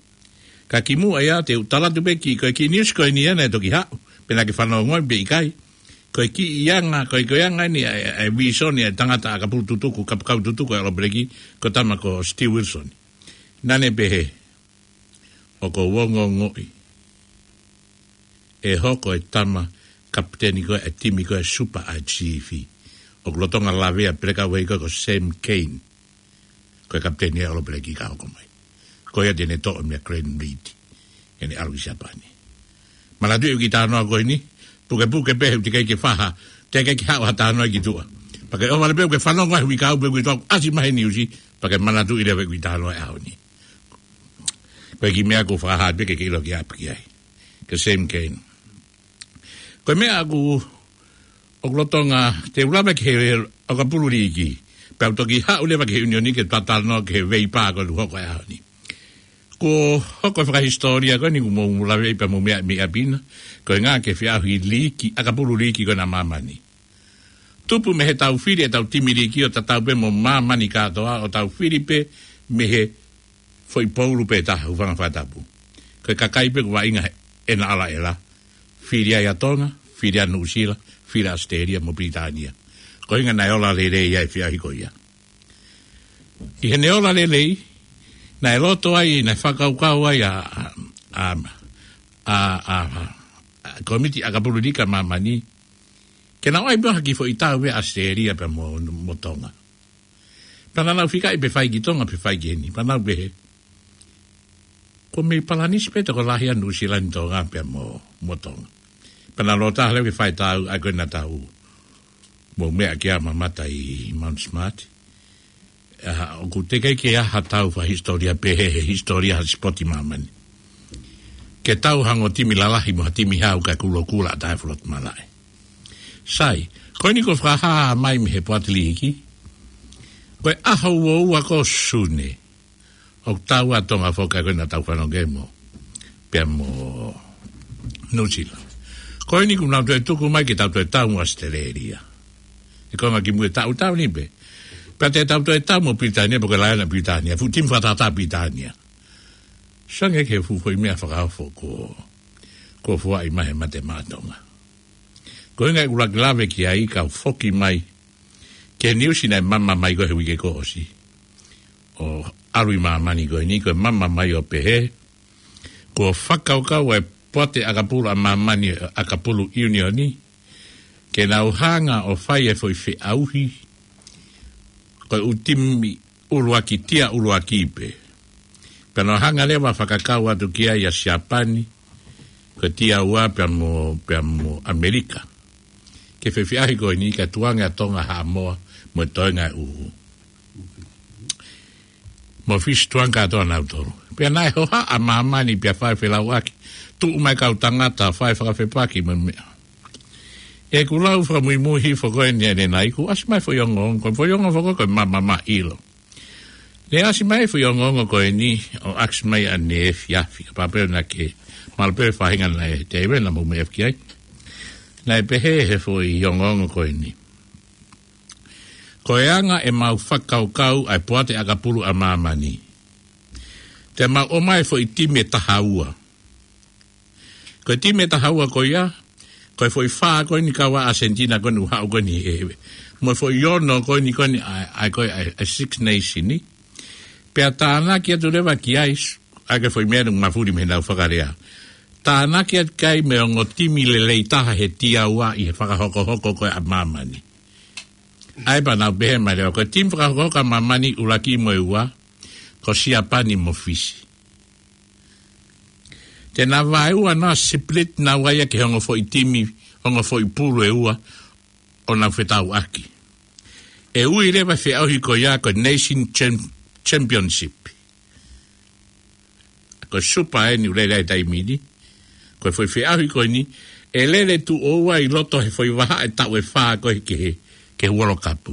Ka kimuʻa ia te u tala atu pē ki, ko e kiʻi niusi ko eni ia naʻe toki haʻu, pe naʻa ke fanongo ai pe ʻikai. Ko e kiʻi anga, ko e, ko e anga eni ʻa e, ʻa e vīsone ʻa e tangata ʻakapulu tutuku, kapakau tutuku ʻa e ʻAlo Peleki, ko e tama ko Steve Wilson. Naʻa ne pehē, ʻoku ou ongoongoʻi ʻe hoko e tama kapiteni ko ē ʻa e timi ko ē Super ʻa e G F. ʻOku lolotonga lavea peleka uei ko ē ko Sam Cane. Ko e kapiteni ʻa e ʻAlo Peleki ka hoko mai. Ko ia te ne toʻo meʻa Glenn Reid. ʻEne ʻalu ki Siapani. Manatuʻi ʻeku kiʻi talanoa ko eni, pukepuke pē he ʻoku teʻeki ke faha, teʻeki ke haʻu ha talanoa ki tuʻa. Pea ke ʻohovale pē ʻoku ke fanongo ai he uike ʻaho pē ʻoku ke toʻo ʻasi mai he niusi, pea ke manatuʻi leva ʻeku kiʻi talanoa he ʻaho ni. Ko e kiʻi meʻa ʻoku ou fakahā pē ke ke ʻilo ki ʻapi ki ai. Ko Sam Cane. Ko e meʻa ʻoku, ʻoku lolotonga, te u lave ki he ʻakapulu liiki. Pea u toki haʻu leva ki he ʻiunioni ke ta talanoa ki he veipā ko ē ʻoku hoko he ʻaho ni. Kuo hoko e fakahisitōlia ko eni ʻoku mou lave ai pea mou meʻa mei ʻapi na. Ko e ngaahi ke feʻauhi liiki, ʻakapulu liiki ko ena ʻa māmani. Tupu mei he tau fili ʻetau timi liiki ʻo tatau pē mo māmani kātoa ʻo tau fili pē mei he foʻi poulu pē taha, hūfanga he fakatapu. Ko e kakai pē ʻoku vaʻinga he ʻena ʻalaʻela. Fili ai ʻa Tonga, fili ʻa Nuʻusila, fili ʻa ʻAositelēlia mo Pilitānia. Ko e ʻuhinga naʻe ola lelei ai e feʻauhi ko ia. ʻI heʻene ola lelei, naʻe loto ai, naʻe fakakaukau ai ʻa, ʻa, ʻa, ʻa, ʻa, ʻa, kōmiti ʻakapulu liiki ʻa māmani. Ke nau ʻai pē ha kiʻi foʻi tau pē ʻa ʻAositelēlia pea mo, mo Tonga. Pea naʻa nau fikaʻi pē fai ki Tonga pe fai ki heni. Pea nau pehē, kuo mei palanisi pē tokolahi ʻa Nuʻusila ni Tonga pea mo, mo Tonga. Pea naʻa nau loto leva ke fai tau, ʻa ia ko ena tau. Mou meʻa ki ai ʻo mamata ʻi Mount Smart. ʻA, ʻoku teʻeki ke ʻi ai ha tau fakahisitōlia pehē he hisitōlia ha sipoti māmani. Ke tau hangē ko e timi lalahi mo ha timi hau kae kulokula ʻa taha e float malaʻe. Sai, ko eni kuo fakahā mai mei he poate liiki. Ko e ʻaho uaua ko Sune. ʻOku tau ʻa Tonga foki ko ena tau fanongo mo. Pea mo Nuʻusila. Ko eni kuo nau toe tuku mai ke tau toe tau mo ʻAositelēlia. ʻI he konga kimuʻa ʻe taʻu, taʻu ni pē. Pea te tau toe tau mo Pilitānia, pe ko e laione ʻa Pilitānia. Fuʻu timi fakatātā ʻa Pilitānia. Sange ke fuʻu foʻi meʻa fakaofo ko, ko e foaki mai he Mate Maʻa Tonga. Ko e ʻuhinga ʻeku laki lave ki ai kau foki mai Ke niusi naʻe mama mai ko ē he uike kuo ʻosi ʻo ʻalu ʻi māmani ko eni, ko e mama mai ʻo pehē, kuo fakakaukau ʻa e Poate ʻAkapulu ʻa Māmani, ʻAkapulu ʻIunioni, ke nau hanga ʻo fai e foʻi feʻauhi ko e ʻū timi ʻuluaki, tia ʻuluaki pē. Pea nau hanga leva ʻo fakakau atu ki ai ʻa Siapani, ko e tia ua pea mo, pea mo ʻAmelika. Ke fefeʻahi ko eni ka tukuange ʻa Tonga, Haʻamoa, mo e toenga ʻe ʻuhu. Mo Fisi, tukuange kātoa nautolu. Pea naʻe hohaʻa ʻa Māmani pea fai felauʻaki. Tuʻu mai kau tangata, fai fakafepaki mo e meʻa. ʻI heʻeku lau fakamuimui hifo ko eni ʻanenai, kuo ʻasi mai foʻi ongoongo, ko e foʻi ongoongo foki ko e mama mai ʻilo. Ne ʻasi mai foʻi ongoongo ko eni, ʻo ʻasi mai ʻaneefiafi, kapau pē naʻa ke, mahalo pē faʻahinga naʻe, te ʻi ai ʻena mo me efki ai. Naʻe pehē he foʻi ongoongo ko eni. Ko e anga ʻemau fakakaukau ʻa e Poate ʻAkapulu ʻa Māmani, te mau ʻomai foʻi timi ʻe taha ua. Ko e timi ʻe taha ua ko ia, ko e foʻi fā ko eni kau ʻa ʻAsenitina ko eni ʻoku haʻu ko eni he, mo e foʻi ono ko eni ko eni ʻa, ʻa, ko e, ʻa, ʻa Six Nation ni. Pea tānaki atu leva ki ai, ʻa e foʻi meʻa ʻoku mafuli mei heʻenau fakalea. Tānaki atu ki ai mo e ongo timi lelei taha he tia ua ʻi he fakahokohoko ko ē ʻa Māmani. ʻA ia pea nau pehē mai leva, ko e timi fakahokohoko ʻa Māmani ʻuluaki mo e ua, ko Siapani mo Fisi. Te nau vaeua naua, split naua ia ki he ongo foʻi timi, ongo foʻi pulu ʻe ua, ʻo nau fetauʻaki. ʻE ui leva e feʻauhi ko ia ko e Nation Cham-, Championship. Ko e Super eni ʻoku lele ai he taimi ni. Ko e foʻi feʻauhi ko eni, ʻe lele tuʻo ua ʻi loto he foʻi vahaʻa ʻe taʻu ʻe fā ko ē ki he, ki he World Cup.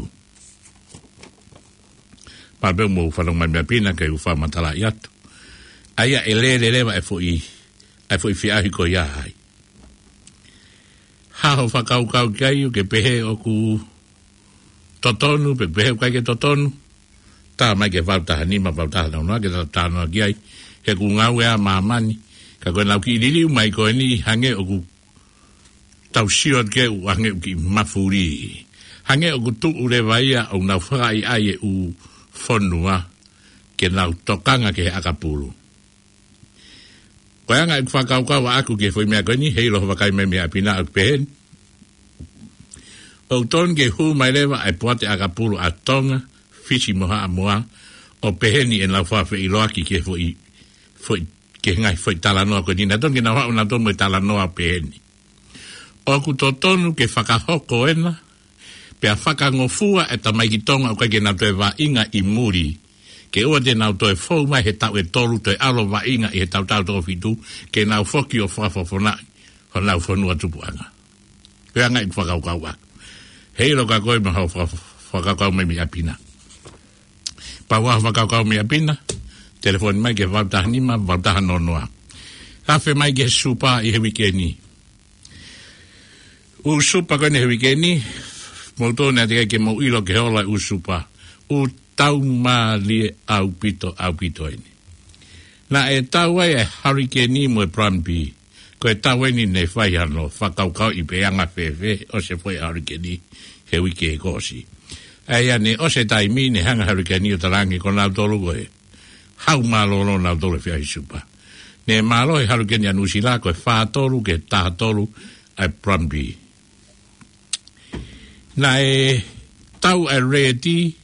Pea pehē mo fanongo mai Meʻa Pina ke u fakamatalaʻi atu. ʻA ia ʻe lele leva e foʻi, ʻa e foʻi feʻauhi ko ia ai. Hā hoʻo fakakaukau ki ai, ʻoku ke pehē ʻoku totonu, pe pehē ʻoku ʻikai ke totonu? Tā mai ki he valu taha nima, valu taha noa noa, ke ta talanoa ki ai. He ʻoku ngāue ʻa Māmani. Ka ko ʻenau kiʻi liliu mai ko eni hangē ʻoku tau sio ki ai ʻoku hangē ʻoku kiʻi mafuli. Hangē ʻoku tuʻu leva ia ʻo nau fakaʻaiʻai e ʻū fonua ke nau tokanga ki he ʻakapulu. Ko e anga ʻeku fakakaukau ʻaʻaku ki he foʻi meʻa ko eni, heiʻilo hoʻo vakai mai Meʻa Pina, ʻoku pehē ni. ʻOku totonu ke hū mai leva ʻa e Poate ʻAkapulu ʻa Tonga, Fisi mo Haʻamoa, ʻo pehē ni ʻenau fakafeʻiloaki ki he foʻi, foʻi, ki he ngaahi foʻi talanoa ko eni. Naʻe totonu ke nau haʻu nautolu mo e talanoa ʻo pehē ni. ʻOku totonu ke fakahoko ena, pea fakangofua e tamaiki Tonga ʻoku ʻikai ke nau toe vaʻinga ʻi muli. Ke ʻoua te nau toe fou mai he taʻu ʻe tolu, toe ʻalu ʻo vaʻinga ʻi he taʻu toko fitu, ke nau foki ʻo fakafofongaʻi honau fonua tupuʻanga. Ko e anga ʻeku fakakaukau ʻaʻaku. Heiʻilo ka ko e maha faka-, fakakaukau mai Meʻa Pina. Pea ʻoua ʻe fakakaukau Meʻa Pina, telefoni mai ki he valu taha nima, valu taha noa noa. Afe mai ki he Super ʻi he uike ni. ʻŪ Super ko eni he uike ni, mou tonu ʻa e teʻeki ke mou ʻilo ki he ola ʻū Super. ʻOku tau mālie ʻaupito, ʻaupito eni. Naʻe tau ai e Hurricane mo e Plan B. Ko e tau eni ne fai hano fakakaukauʻi pe ʻe anga fēfē ʻa e foʻi Hurricane he uike kuo ʻosi. ʻA ia ne ʻosi e taimi ne hanga Hurricane ʻo talaange ko nautolu ko e hau mālōlō nautolu he feʻauhi Super. Ne mālohi e Hurricane ʻa Nuʻusila ko e fā tolu ki he taha tolu ʻa e Plan B. Naʻe tau e Reti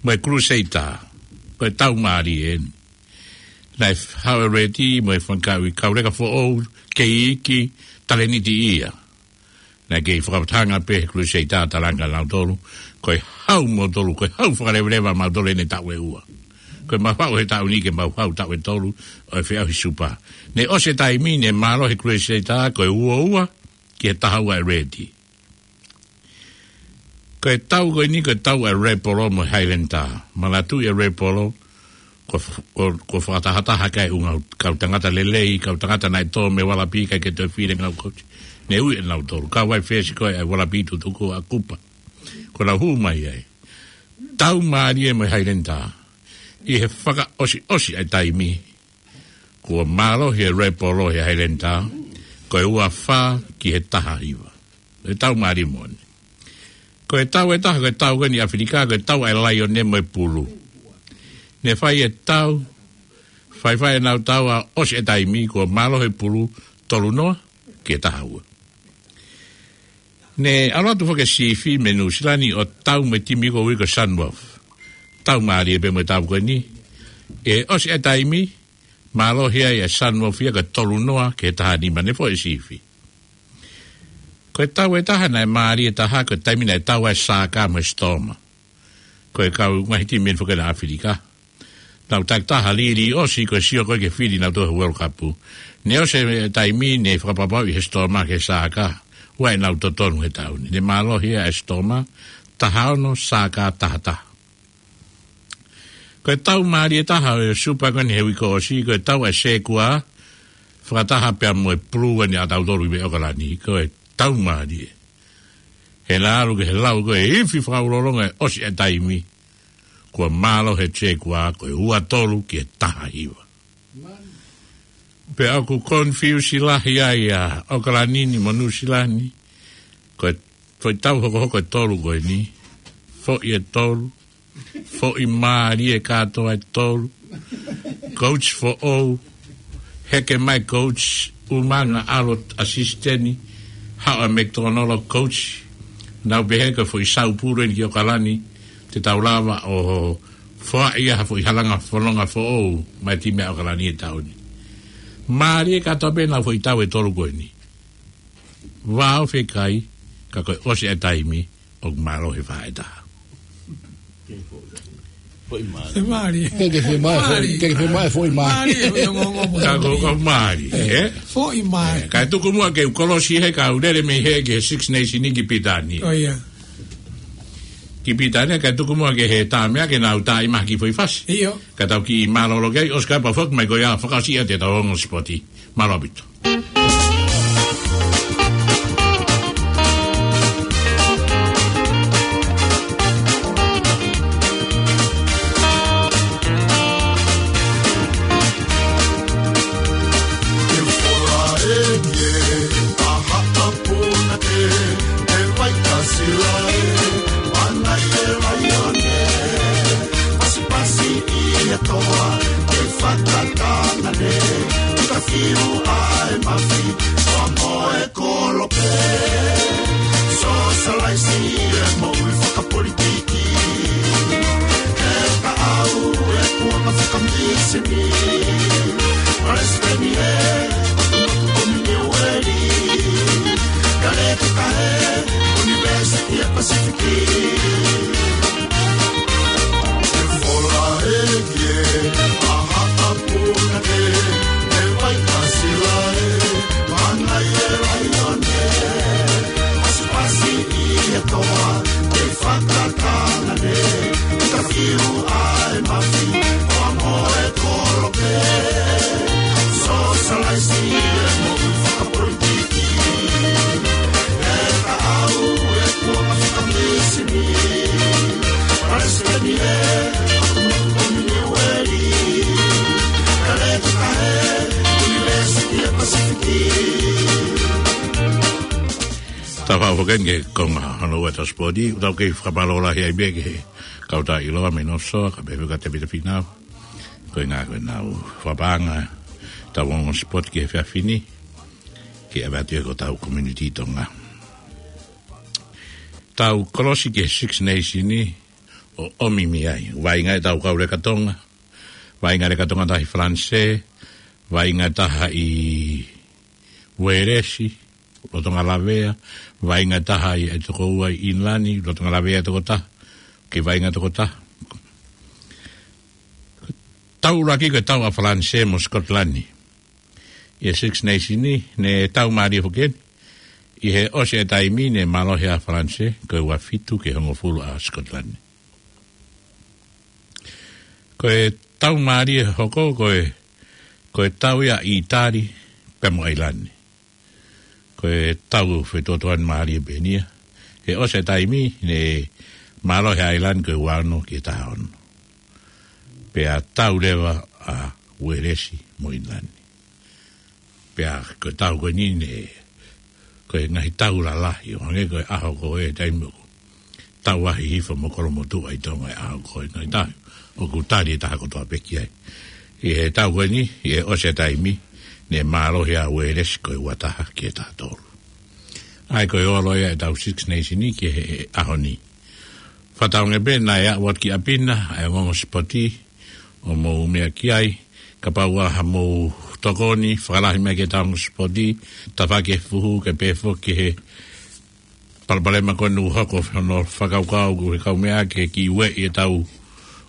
mo e Crusader, ko e tau mālie eni. Naʻe hau e Reti mo e fanga kau ʻi kauleka foʻou, kei iiki, talēniti ia. Naʻe kei fakatanga pē he Crusader, talaange ʻe nautolu, ko e hau mautolu, ko e hau fakaleveleva mautolu ʻene taʻu ʻe ua. Ko e mau hau he taʻu ni ke mau hau taʻu ʻe tolu ʻo e feʻauhi Super. Ne ʻosi e taimi ne mālohi e Crusader ko e ua ua ki he taha ua e Reti. Ko e tau ko eni ko e tau e Red Bull mo e Highlander. Manatuʻi e Red Bull, ko, ko, ko e fakatahataha ki ai e ʻū ngaahi kau tangata lelei, kau tangata naʻe tō mei Ualapi ʻikai ke toe fili e ngaahi kau coach. Ne ui ʻe nautolu, kau ai fesi ko e Ualapi tutuku ʻa Kupa. Ko ʻenau hū mai ai. Tau mālie mo e Highlander. ʻI he fakaʻosiʻosi ʻa e taimi, kuo mālohi e Red Bull he Highlander, ko e ua fā ki he taha hiva. ʻE tau mālie moʻoni. Ko e tau ʻe taha, ko e tau ko eni ʻAfilika, ko e tau ʻa e laione mo e pulu. Ne fai e tau, faifai ʻenau tau ʻo ʻosi e taimi, kuo mālohi e pulu tolu noa ki he taha ua. Ne ʻalu atu foki e sifi mei Nuʻusila ni ʻo tau mo e timi ko ē ʻoku ui ko e Sunwolf. Tau mālie pē mo e tau ko eni. ʻE ʻosi e taimi, mālohi ai e Sunwolf ia ko e tolu noa ki he taha nima, ne foʻi e sifi. Ko e tau ʻe taha naʻe mālie taha, ko e taimi naʻe tau ai e Saka mo e Stormer. Ko e kau ngaahi timi eni foki ʻa ʻAfilika. Nau takitaha lī ʻo ʻosi ko e sio ko ē ki he fili nautolu he World Cup. Ne ʻosi e taimi ne fakapapauʻi he Stormer ki he Saka, ʻoua ʻe nau totonu he tau ni. Ne mālohi ʻa e Stormer, taha ono, Saka taha taha. Ko e tau mālie taha ʻo e Super ko eni he uike ʻosi, ko e tau ʻa e Sekua, fakataha pea mo e pulu eni ʻa tautolu ʻi ʻOkalani, ko e tau mālie. He naʻe ʻalu ki he lau ko e ifi fakaulolonga ʻe ʻosi e taimi, kuo mālohi e Sekua ko e ua tolu ki he taha hiva. Pea ʻoku confuse lahi ai ʻa ʻOkalani ni mo Nuʻusila ni, ko e foʻi tau hokohoko ʻe tolu ko eni, foʻi ʻe tolu, foʻi mālie kātoa ʻe tolu, coach foʻou, heke mai coach, ʻumaʻā ʻalu ʻo assistant, haʻu ʻa McDonald coach, nau pehē ko e foʻi saupulu eni ki ʻOkalani, te tau lava ʻo foaʻi ha foʻi halanga fononga foʻou, mai timi ʻa ʻOkalani he tau ni. Mālie kātoa pē ʻenau foʻi tau ʻe tolu ko eni. Vao fekai, ka ko e ʻosi e taimi, ʻoku mālohi e fā ʻe taha. Foʻi mālie. Foʻi mālie. Ke ke foʻi mālie, foʻi, mālie. Ke ke foʻi mālie, foʻi mālie. Mālie, foʻi ongoongo. Ka ko, ko mālie, ē? Foʻi mālie. Ē, ka tuku muʻa ke u kolosi he ka u lele mei he ki he Six Nations ni ki Pilitānia. ʻO ia. Ki Pilitānia, ka tuku muʻa ke he tā meʻa ke nau tā ʻi mahaki foʻi fasi. ʻIo. Ka tau kiʻi mālōlō ki ai, ʻosi ka pau foki mai ko ia fakaʻosi ia te tau ongo sipoti. Mālō ʻaupito. Pasipasi ʻi he toa, ke fakatanga ne, ka fiu ʻa e mafi, ʻo mo e kolope. Sōsalaisi e moʻui fakapolitiki. He ka au e kuonga fakamisini. Palesiteni ē, ʻoku maku komi Niueli. Ka le ke kahe, University of Pacific. Tau faʻu foki eni ki he konga hono ua ʻetau sipoti, ʻoku tau kei fakamālō lahi ai pē ki he kau tā ʻiloa mei North Shore, ka pehē foki kia Tevita Finau. Ko e ʻuhinga ko ʻenau fakapaʻanga ʻetau ongo sipoti ki he efiafi ni, ke ʻave atu ia ki hotau community Tonga. Tau kolosi ki he Six Nations ni, ʻo ʻomi mei ai. Vaʻinga ʻetau kau leka Tonga. Vaʻinga leka Tonga tahi Falanisē. Vaʻinga taha ʻi Uēlesi, lolotonga lavea. Vaʻinga taha ʻi he tokoua ʻi ʻInilani, lolotonga lavea tokotaha. Ke vaʻinga tokotaha. Tau ʻuluaki ko e tau ʻa Falanisē mo Scotland. ʻI he Six Nations ni, ne tau mālie foki eni. ʻI he ʻosi e taimi ne mālohi ʻa Falanisē, ko e ua fitu ki he hongofulu ʻa Scotland. Ko e tau mālie hoko, ko e, ko e tau ia ʻa ʻĪtali, pea mo ʻAilani. Ko e tau fetuotuani mālie pē eni ia. He ʻosi e taimi, ne mālohi ʻa ʻAilani ko e ua ono ki he taha ono. Pea tau leva ʻa Uēlesi mo ʻInilani. Pea ko e tau ko eni ne ko e ngaahi tau lalahi, ʻo hangē ko e ʻaho ko ē taimi ʻoku tau ahi hifo mo kolomotuʻa ʻi Tonga ʻi he ʻaho ko ē, ngaahi tau ʻoku tali ʻe taha kotoa pē ki ai. ʻI he tau ko eni, ʻi he ʻosi e taimi, ne mālohi ʻa e uelesi ko e ua taha ki he taha tolu. ʻA ia ko e olo ia ʻetau Six Nation ki he ʻaho ni. Fakatauange pē naʻe aʻu atu ki ʻapi na ʻa e ongoongo sipoti ʻo mou meʻa ki ai, kapau ʻoku ʻi ai haʻamou tokoni, fakalahi mai ki heʻetau ongoongo sipoti, tafaʻaki e fuhu, kae pehē foki ki he palopalema ko eni ʻoku hoko, hono fakakaukau ʻa e kau meʻa ke kiʻi ueʻi ʻetau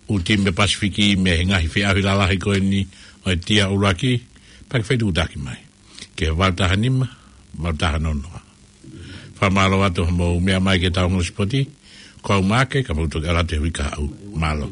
ʻū timi Pasifiki mei he ngaahi feʻauhi lalahi ko eni ʻo e tier ʻuluaki, pea ke fetuʻutaki mai ki he valu taha nima, valu taha noa noa. Fakamālō atu hoʻomou meʻa mai ki heʻetau ongoongo sipoti, ko au Maake, ka mou toki ʻalu atu he uike kahaʻu. Mālō.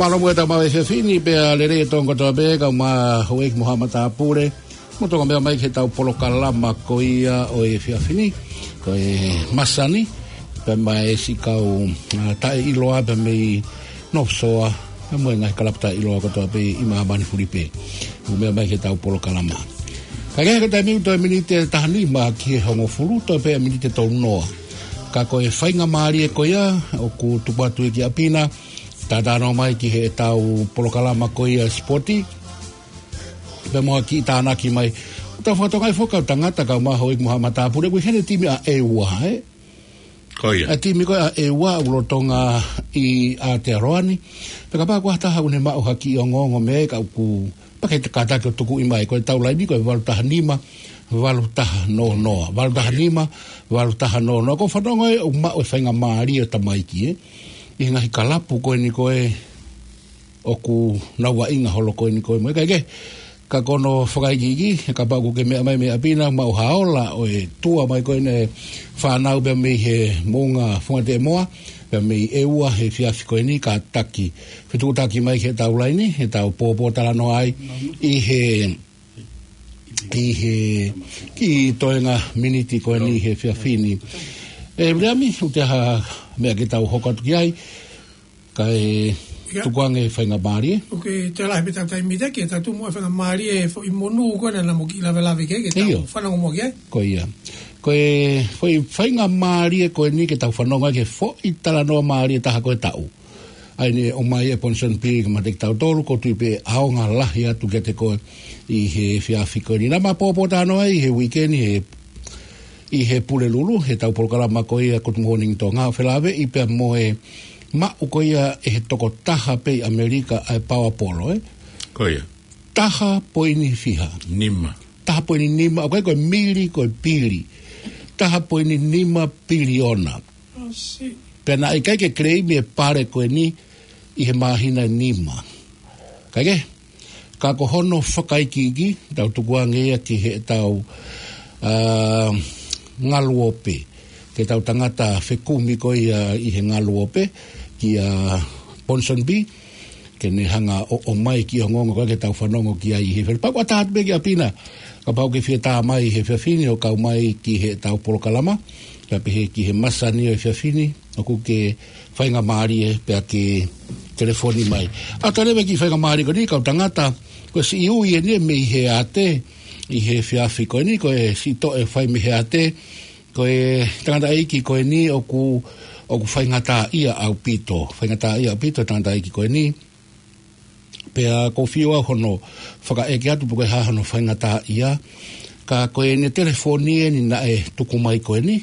Mālō muʻa ʻetau maʻu e efiafi ni, pea lelei e tōʻonga kotoa pē, kau mai houʻeiki mo haʻa matāpule, mou toki meʻa mai ki heʻetau polokalama ko ia ʻo e efiafi ni, ko e masani, pea mo e siʻi kau, ā, taʻeʻiloa pea mei North Shore, pea mo e ngaahi kalapu taʻeʻiloa kotoa pē ʻi māmani fulipē. Mou meʻa mai ki heʻetau polokalama. Kae kehe, ko e taimi ʻoku toe miniti ʻe taha nima ki he hongofulu, toe pē miniti ʻe tolu noa. Ka ko e faingamālie ko ia ʻoku tupu atu ia ki ʻapi na, talanoa mai ki heʻetau polokalama ko ia sipoti, pea mo ha kiʻi tānaki mai. ʻOku tau fakatokangaʻi foki, kau tangata, kau mai houʻeiki mo haʻa matāpule, ʻoku ʻi heni e timi ʻa ʻEua, ē? Ko ia. ʻA e timi ko ē ʻa ʻEua ʻoku lolotonga ʻi Aotearoa ni. Pea kapau ʻoku ʻi ai ha taha ʻoku ne maʻu ha kiʻi ongoongo mei ai, ka ʻoku pau ke kātaki ʻo tukuʻi mai, ko ʻetau laini ko e valu taha nima, valu taha noa noa. Valu taha nima, valu taha noa noa. ʻOku ou fanongo ē ʻoku maʻu e faingamālie ʻo e tamaiki, ē, ʻi he ngaahi kalapu ko eni ko ē ʻoku nau vaʻinga holo ko eni ko ē mo e kakai. Ka ko hono fakaikiiki, kapau ʻoku ke meʻa mai mei ʻapi na, maʻu ha ola ʻo e tour mai ko eni ʻa e fānau pea mei he moʻunga Fuaʻamoa, pea mei ʻEua he efiafi ko eni, kātaki fetuʻutaki mai ki heʻetau laini, heʻetau pōpōtalanoa ai ʻi he ʻi he kiʻi toenga miniti ko eni he efiafi ni. ʻE, Viliami, ʻoku ʻi ai ha meʻa ke tau hoko atu ki ai, kae tukuange faingamālie. ʻOku toe lahi pē ʻetau taimi, ke tau tuku muʻa faingamālie e foʻi monū ko ena naʻa mo kiʻi lavelave ki ai, ke tau fanongo muʻa ki ai. Ko ia. Ko e foʻi faingamālie ko eni ke tau fanongo ai ki he foʻi talanoa mālie taha ko e taʻu. ʻA ia naʻe ʻomai ʻe Ponsonby kiate kitautolu, ʻoku ou tui pē ʻe ʻaonga lahi atu kiate koe ʻi he efiafi ko eni. Naʻa ma pōpōtalanoa ai he uike ni he, ʻi he Pulelulu, heʻetau polokalama ko ia Good Morning Tonga, felāveʻi pea mo e maʻu ko ia ʻe he tokotaha pē ʻi ʻAmelika ʻa e paoa polo, ē? Ko ia. Taha poini fiha? Nima. Taha poini nima, ʻoku ʻikai ko e mili, ko e pili. Taha poini nima piliona. Pea naʻe ʻikai ke claim e pale ko eni ʻi he māhina ʻe nima. Kae kehe, ka ko hono fakaikiiki, tau tukuange ia ki heʻetau, ā, ngaluope. Ke tau tangata fekumi ko ia ʻi he ngaluope, kia Ponsonby, ke ne hanga ʻo, ʻomai e kiʻi ongoongo ko ē ke tau fanongo ki ai he efiafi ni. Pea ʻoku ʻatā atu pē kia Pina, kapau ʻoku ke fie tā mai he efiafi ni ʻo kau mai ki heʻetau polokalama, kae pehē ki he masani ʻo e efiafi ni, ʻoku ke faingamālie pea ke telefoni mai. ʻA ia leva e kiʻi faingamālie ko eni, kau tangata, ko e siʻi ui eni mei he ate, ʻi he efiafi ko eni, ko e siʻi toʻe fai mei he ate, ko e tangataʻeiki ko eni ʻoku, ʻoku faingataʻaʻia ʻaupito, faingataʻaʻia ʻaupito e tangataʻeiki ko eni. Pea ʻoku ou fie ʻoatu hono fakaʻeke atu pe ko e hā hono faingataʻaʻia. Ka ko ʻene telefoni eni naʻe tuku mai ko eni,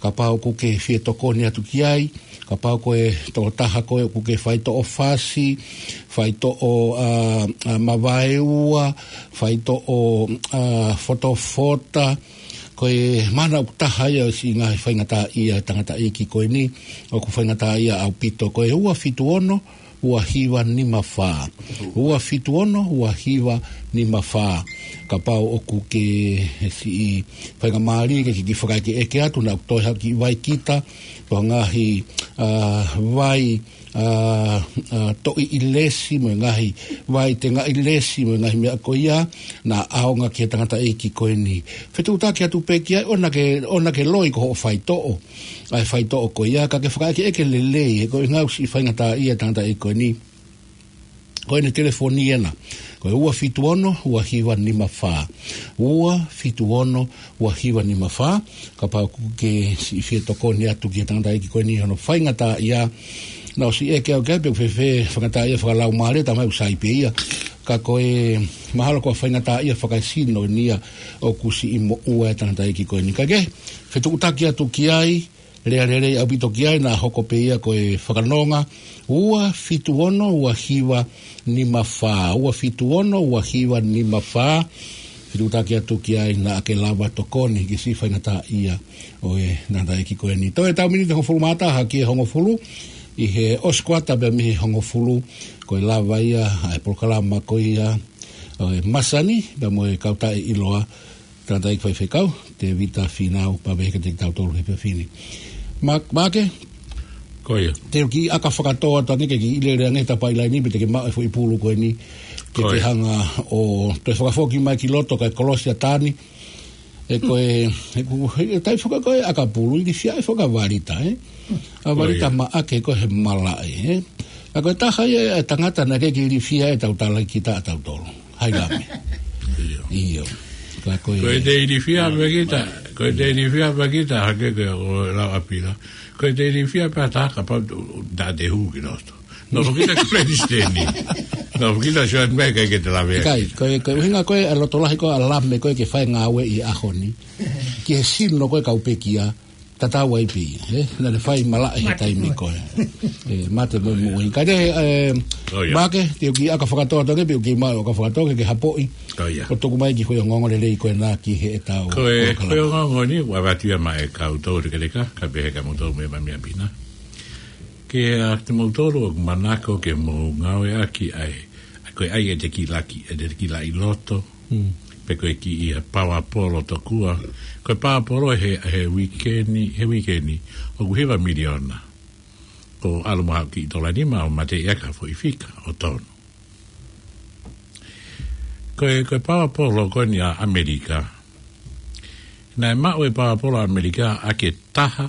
kapau ʻoku ke fie tokoni atu ki ai, kapau ko e tokotaha koe ʻoku ke faitoʻo fasi, faitoʻo, ā, ā, mavaeua, faitoʻo, ā, fotofota, ko e mana ʻoku taha ia ʻo e siʻi ngaahi faingataʻaʻia e tangataʻeiki ko eni, ʻoku faingataʻaʻia ʻaupito, ko e ua fitu ono, ua hiva nima fā. Ua fitu ono, ua hiva nima fā. Kapau ʻoku ke siʻi faingamālie ke ke kiʻi fakaʻekeʻeke atu, naʻa ʻoku toe haʻu e kiʻi vai kita, ko e ngaahi, ā, vai, ā, ā, toʻi ʻilesi, mo e ngaahi vai tengaʻi lesi, mo e ngaahi meʻa ko ia, naʻa ʻaonga ki he tangataʻeiki ko eni. Fetuʻutaki atu pē ki ai, ʻoua naʻa ke, ʻoua naʻa ke loi ko hoʻo faitoʻo ʻa e faitoʻo ko ia, ka ke fakaʻekeʻeke lelei, he ko e ʻuhinga ʻoku siʻi faingataʻaʻia e tangataʻeiki ko eni. Ko ʻene telefoni ena, ko e ua fitu ono, ua hiva nima fā. Ua fitu ono, ua hiva nima fā. Kapau ʻoku ke siʻi fie tokoni atu ki he tangataʻeiki ko eni hono faingataʻaʻia, naʻa ku ʻosi ʻeke au ki ai pe ʻoku fēfē faingataʻaʻia fakalaumālie, talamai ʻoku sai pē ia. Ka ko e mahalo ko e faingataʻaʻia fakaesino eni ia ʻoku siʻi moʻua e tangataʻeiki ko eni. Kae kehe, fetuʻutaki atu ki ai, lea lelei ʻaupito ki ai, naʻa hoko pē ia ko e fakanonga, ua fitu ono, ua hiva nima fā, ua fitu ono, ua hiva nima fā. Fetuʻutaki atu ki ai naʻa ke lava tokoni ki he siʻi faingataʻaʻia ʻo e tangataʻeiki ko eni. Toe ʻetau miniti hongofulu mā taha ki he hongofulu, ʻi he ʻosi kuata pē mei he hongofulu, ko e lava ia ʻa e polokalama ko ia ʻo e masani, pea mo e kau taʻeʻiloa, tangataʻeiki faifekau, Tēvita Fīnau, pea pehē kiate kitautolu he efiafi ni. Ma-, Maʻake? Ko ia. Te u kiʻi ʻaka fakatō atu ange ke kiʻi lele ange he tapaʻi laini pe te ke maʻu e foʻi pulu ko eni. Ke ke hanga ʻo toe fakafoki mai ki loto kae kolosi ʻa Tani. ʻE ko e, ʻe ku, ʻe tai faka ko e ʻakapulu, ilifia ʻe fakavalita, ē? ʻA valita Maʻake ko e he malaʻe, ē? ʻA ko e taha ia e tangata naʻe ʻikai ke ilifia ʻe tautala kita ʻa tautolu. Hai Lame. ʻIo. ʻIo. Ka ko e Ko e te ilifia pē kita, ko e te ilifia pē kita, hake ko e lau ʻa Pila. Ko e te ilifia pē ʻa taha kapau naʻa te hū ki loto. Nofo kita ki Palesiteni. Nofo kita Suan Meka ke te lave. ʻIkai, ko e, ko e ʻuhinga ko e ʻa e loto lahi ko e ʻa Lame ko e ke fai ngāue ʻi he ʻaho ni. Ki he sino ko e kau pekia, tatau ai pē, ē? Naʻa ne fai malaʻe he taimi ko ē. Ē, mate mo muʻi. Ka te, ē, Maʻake, te u kiʻi ʻaka fakatō atu ange, pe u kiʻi maʻu ʻaka fakatō, ke ke hapoʻi. ʻO tuku mai e kiʻi foʻi ongoongo lelei ko ena ki heʻetau Ko e, ko e ongoongo ni, ua vatia mai e kau tau te keleka, ka pehē kia moutolu mo e mami ʻa Pina. Ke ʻa te moutolu ʻoku manako ke mou ngāueʻaki ʻa e, ko e ʻai e te kiʻi laki, e te kiʻi laʻi loto, pe ko e kiʻi paoa polo tokua. Ko e paoa polo he, he uike ni, he uike ni, ʻoku hiva miliona. Ko ʻalu mo haʻu kiʻi tola nima ʻo mateʻi ʻaki ha foʻi fika ʻo tonu. Ko e, ko e paoa polo ko eni ʻa ʻAmelika. Naʻe maʻu e paoa polo ʻa ʻAmelika ʻaki e taha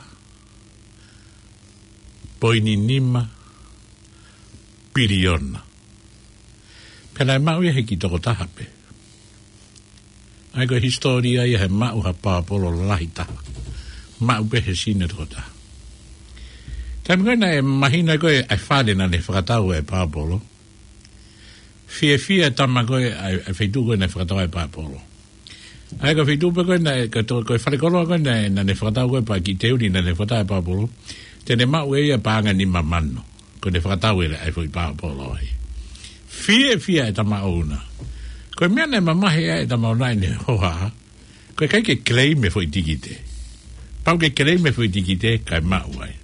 poini nima piliona. Pea naʻe maʻu ia he kiʻi tokotaha pē. ʻA ia ko e hisitōlia ia he maʻu ha paoa polo lahi taha. Maʻu pē he sino tokotaha. Taimi ko ē naʻe mahino ko ē ʻa e fale naʻa ne fakatau e paoa polo. Fiefia e tama ko ē ʻa e, ʻa e feituʻu ko ē naʻe fakatau ai e paoa polo. ʻA ia ko e feituʻu pē ko ē naʻe, ko e to-, ko e falekoloa ko ē naʻe, naʻa ne fakatau ko ē pea kiʻi teuni naʻa ne fakatau e paoa polo. Te ne maʻu ʻe ia paʻanga nima mano. Ko ʻene fakatau ʻe ia ʻa e foʻi paoa polo ai. Fiefia e tama ʻoʻona. Ko e meʻa naʻe mamahi ai e tama ʻoʻona ʻene hohaʻa. Ko e ʻikai ke claim e foʻi tikite. Pau ke claim e foʻi tikite, kae maʻu ai.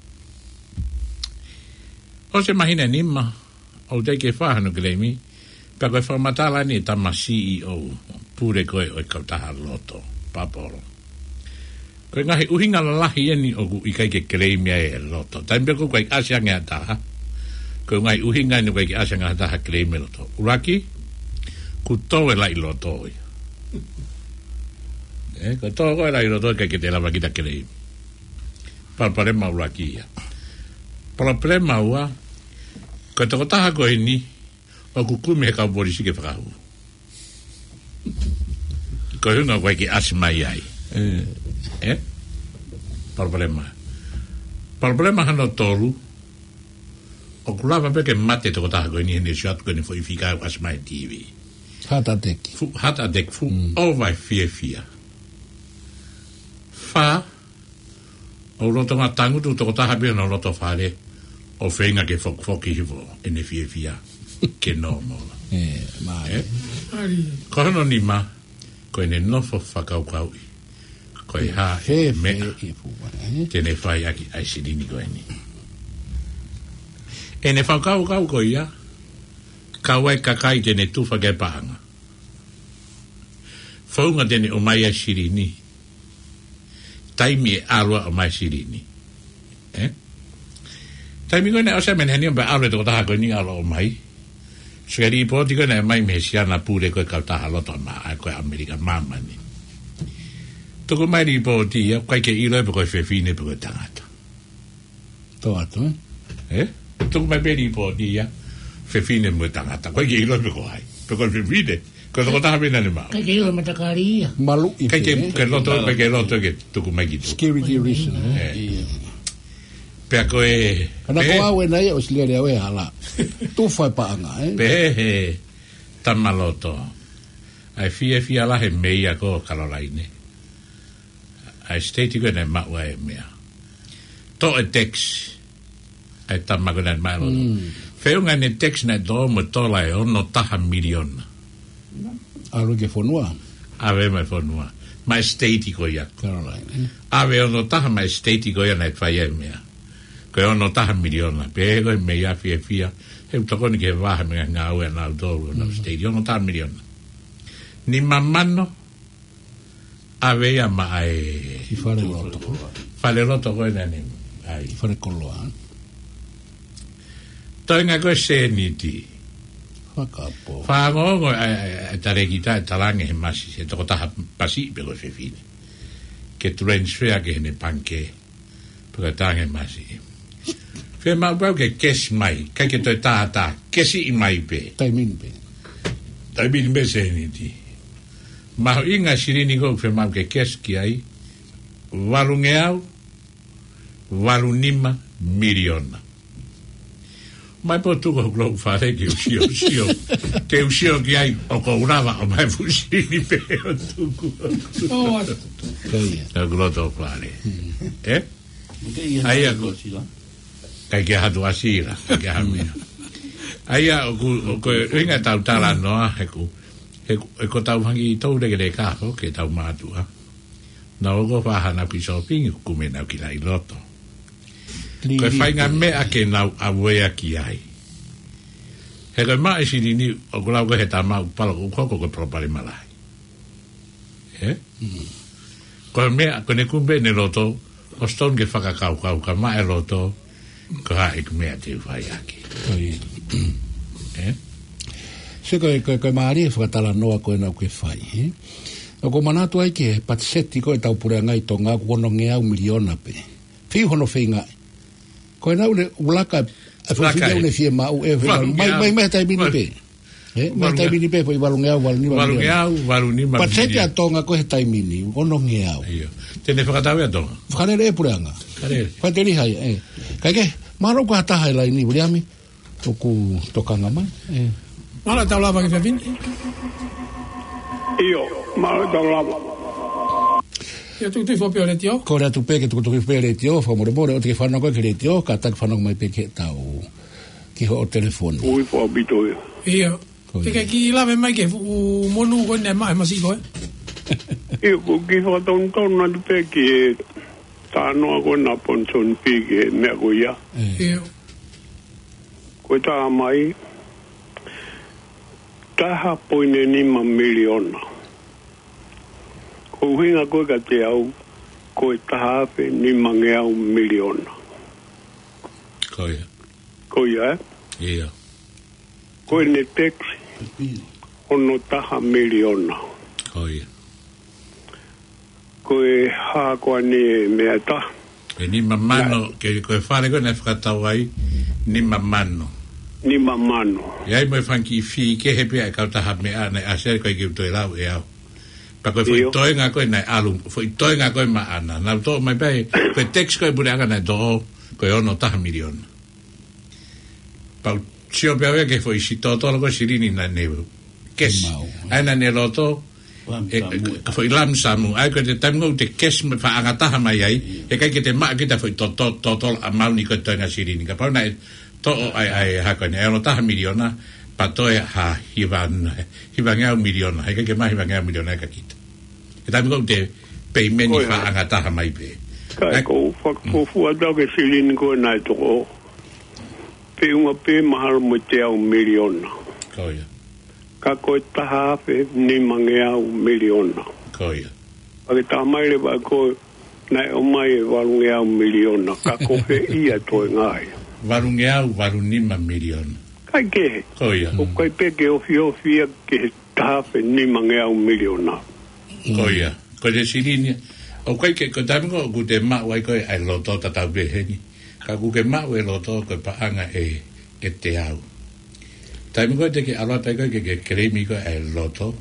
ʻOsi e māhina ʻe nima, ʻoku teʻeki ke fai hano claim, pea ko e fakamatala eni e tama C E O, pule ko ē ʻo e kautaha loto, paoa polo. Ko e ngaahi ʻuhinga lalahi eni ʻoku ʻikai ke claim ai e loto. Taimi pē ko ē ʻoku ʻasi ange ha taha. Ko e ngaahi ʻuhinga eni ʻoku ʻikai ke ʻasi ange ha taha claim e loto. ʻUluaki, kuo tō e laʻi loto ia. ʻE, kuo tō ko ē laʻi loto ʻikai ke te lava kita claim. Palopalema ʻuluaki ia. Palopalema ua, ko e tokotaha ko eni, ʻoku kumi he kau polisi ke fakahū. Ko e ʻuhinga ʻoku ʻikai ke ʻasi mai ai. ʻE? Palopalema. Palopalema hono tolu, ʻoku lava pē ke mate tokotaha ko eni he naʻe sio atu ko eni foʻi fika ʻoku ʻasi mai T V. Heart attack. Fuʻu heart attack, fuʻu ʻova e fiefia. Fā, ʻoku lolotonga tangutu tokotaha pē hono loto fale, ʻo feinga ke fokifoki hifo ʻene fiefia ke normal. ʻE, mai. ʻE? Ko hono nima, ko ʻene nofo fakakaukauʻi. Ko e hā e meʻa te ne fai ʻaki ʻa e silini ko eni. ʻEne fakakaukau ko ia, kau ai kakai te ne tufa ki ai paʻanga. Founga te ne ʻomai ai silini. Taimi ʻe ʻalu ai ʻo ʻomai silini. ʻE? Taimi ko ē naʻe ʻosi menehani ʻo pea ʻalu e tokotaha ko eni ʻalu ʻo ʻomai. Sio ki he lipooti ko ē naʻe ʻomai mei he siana pule ko ē kautaha loto ʻa ʻAmelika, ʻa ʻAmelika Māmani. Tuku mai lipooti ia, ʻikai ke ʻilo pe ko e fefine pe ko e tangata. Tō atu, ē? ʻE? Tuku mai pē lipooti ia, fefine mo e tangata. ʻIkai ke ʻilo pe ko hai. Pe ko e fefine, ko e tokotaha pē naʻa ne maʻu. ʻIkai ke ʻilo matakali ia. Maluʻi pē, ē? ʻIkai ke loto, ʻikai ke loto ke tuku mai ki tuʻa. Security reason, ē? ʻE. Pea ko e, ka naʻe ko au ē naʻe ʻosi lele au he hala. Tufa e paʻanga, ē? Pehē he tama loto. ʻA e fiefia lahi e meia ko Kalolaine. ʻA e state ko ē naʻe maʻu ai e meʻa. Toʻo e tax. ʻA e tama ko ē naʻe maʻu ai e loto. Feʻunga ʻene tax naʻe toʻo mo e tola ʻe ono taha miliona. ʻAlu ki he fonua. ʻAve mai fonua. Mai state ko ia. Caroline, ē? ʻAve ono taha mai state ko ia naʻe fai ai e meʻa. Ko e ono taha miliona. Pehē ko e meia fiefia. He ʻoku tokoni ki he vaha mei he ngāue ʻanautolu ʻo e state. Ono taha miliona. Nima mano. ʻAve ia maʻa e fale loto. Fale loto ko ē naʻa ne ʻai. Fale koloa. Toenga ko e sēniti. Fakapō. Fakaongoongo ʻa e, ʻa e, ʻa e talēkita ʻe talaange he masi, he tokotaha masi pe ko e fefine. Ke transfer ki heʻene pangikē. Pe ko e talaange he masi. Fiemaʻu pau ke cash mai, ʻikai ke toe tātā, cash ʻi mai pē. Taimi ni pē. Taimi ni pē sēniti. Mahuʻinga silini ko ē fiemaʻu ke cash ki ai, valungeau, valu nima miliona. Mai pē ʻo tuku hoku loto fale ke u sio, sio. Ke u sio ki ai ʻoku ou lava ʻo ʻomai fuʻu silini pē ʻo tuku. ʻO atu. Ko ia. Hoku loto fale. ʻE? ʻAi ia ko sila. ʻIkai ke hatu ʻa sila, ʻikai ke ha meʻa. ʻAi ia ʻoku, ʻoku ʻuhinga ʻetau talanoa, he ʻoku, he ʻoku, he ko ʻetau hangi tau lekeleka hoko, ke tau mātuʻa. Naʻa nau ō ko ē ʻo fai haʻanau kiʻi sōpingi, ʻoku kumi ʻenau kiʻi laʻi loto. Ko e faʻahinga meʻa ke nau ʻave ia ki ai. He ko e maʻu e silini ʻoku lau ko ē he tama ʻoku palo ʻoku hoko ko e palopalema lahi. ʻE? Ko e meʻa, ko ʻene kumi pē ʻene loto, ʻosi tonu ke fakakaukau ka maʻu e loto, ko e hā e kiʻi meʻa te u fai ʻaki. ʻE? Te ko e, ko e, ko e mālie fakatalanoa ko ena ʻoku ke fai, ē? ʻOku ou manatu ai ki he patiseti ko ē ʻetau puleʻanga ʻi Tonga ʻoku ono ngeau miliona pē. Fiu hono feingaʻi. Ko ena ʻoku ne ulaka, e foʻi fili ʻoku ne fiemaʻu, ē, mai, mai, mai he taimi ni pē. Ē, mai he taimi ni pē, foʻi valu ngeau, valu nima miliona. Patiseti ʻa Tonga ko ē he taimi ni, ono ngeau. ʻIo. Te ne fakatau ʻa Tonga. Fakalele e puleʻanga. Fakalele. Fakalele hai, ē. Kae kehe, mālō ko ha taha ʻi laini, Viliami. ʻOku tokanga mai. Ē. Mālō e tau lava ki he fefine. ʻIo, mālō e tau lava. ʻIo, tukutuku foʻi pē ʻo e letiō. Kole atu pē ke tukutuku foʻi pē ʻo e letiō, fakamolemole, ʻoua te ke fanongo ki he letiō, kātaki fanongo mai pē ki heʻetau, ki hoʻo telefoni. Ui, fua pito ia. ʻIo. Ko ia. Te ke kiʻi lave mai ki he fuʻu monū ko eni ʻa e masi ko ē. ʻIo, ko e kiʻi fakatonutonu atu pē ki he talanoa ko ena ʻa Ponisoni Pī ki he meʻa ko ia. ʻIo. Ko e talamai, taha poini nima miliona. Ko e ʻuhinga ko ē kiate au, ko e taha afe nima ngeau miliona. Ko ia. Ko ia, ē? ʻIo. Ko ʻene tax, ono taha miliona. Ko ia. Ko e hā ko eni e meʻa ʻe taha. Ko e nima mano, ke, ko e fale ko ē naʻe fakatau ai, nima mano. Nima mano. ʻI ai mo e fanga kiʻi fee kehe pē ʻa e kautaha meʻa naʻe ʻasi ai, ʻikai ke u toe lau ʻe au. Pea ko e foʻi toenga ko ē naʻe ʻalu, foʻi toenga ko ē maʻana. Naʻa nau toʻo mai pē, ko e tax ko ē puleʻanga naʻe toʻo, ko e ono taha miliona. Pea u sio pē au ia ki he foʻi si-, totolo ko ē silini naʻa ne cash. ʻA ia naʻa ne loto, ē, foʻi lump sum. ʻA ia ko e taimi ʻoku te cash mai faʻa ngataha mai ai, heʻikai ke te maʻu kita foʻi to-, to-, totolo amount ko ē toenga silini. Kapau naʻe toʻo ai, ai, hā ko eni, ʻe ono taha miliona, pea toe ha hiva, hiva ngeau miliona, heʻikai ke maʻu hiva ngeau miliona ia kia kita. He taimi ʻoku te payment faʻa ngataha mai pē. Kae ʻoku ou fakafuofua atu au ki he silini ko ē naʻe toʻo. Feʻunga pē mahalo mo e teau miliona. Ko ia. Ka ko e taha afe nima ngeau miliona. Ko ia. Pea ke talamai leva ko ē naʻe ʻomai e valu ngeau miliona. Ka ko fē ia e toenga ia? Valu ngeau valu nima miliona. ʻIkai ke. Ko ia. ʻOku ʻikai pē ke ofiofi ia ki he taha afe nima ngeau miliona. Ko ia. Ko e silini. ʻOku ʻikai ke, ko e taimi ko ē ʻoku te maʻu ai ko ē ʻa e loto tatau pē heni. Ka ʻoku ke maʻu e loto ko e paʻanga ʻe, ʻe teau. Taimi ko ē te ke ʻalu atu ai ko ē ke, ke claim ko ē ʻa e loto,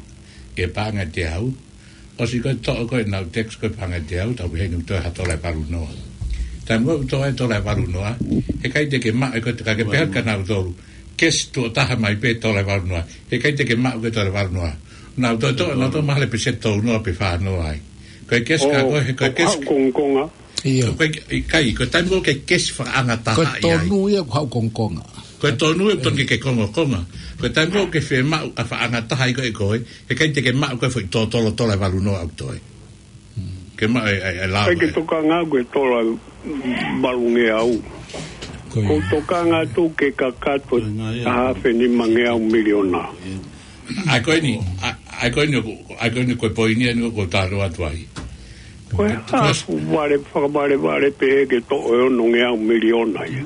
ʻe paʻanga ʻe teau. ʻOsi ko ē toʻo ko ē ʻenau tax ko ē paʻanga ʻe teau, tatau pē heni ʻoku toe ha tola ʻe valu noa. Taimi ko ē ʻoku toe ha tola ʻe valu noa, heʻikai te ke maʻu ʻe koe, ka ke pehē kia nautolu, cash tuʻo taha mai pē tola ʻe valu noa. Heʻikai te ke maʻu ʻe koe tola ʻe valu noa. Nautolu toʻo, nautolu mahalo pē se tolu noa pe fā noa ai. Ko e cash ka ko ē, he ko e cash. Haʻu kongokonga. ʻIo. Ko e, ʻikai, ko e taimi ko ē ke cash faʻa ngataha ai. Ko e tonu ia ʻoku haʻu kongokonga. Ko e tonu ia ʻoku tonu ke ke kongokonga. Ko e taimi ko ē ke fiemaʻu ʻa e faʻa ngataha ai ko ē ʻe koe, heʻikai te ke maʻu ko ē foʻi totolo tola ʻe valu noa ʻoku toe. Ke maʻu e, e, e lao. ʻIkai ke tokanga au ki he tola ʻe valu ngeau. Ko ia. ʻOku ou tokanga atu ki he kakato ʻe taha afe nima ngeau miliona. ʻA ia ko eni, ʻa, ʻa ia ko eni ʻoku, ʻa ia ko eni ko e poini eni ʻoku ou talanoa atu ai. Ko e hā e fuʻu vale, fakavalevale pehē ke toʻo e ono ngeau miliona ia.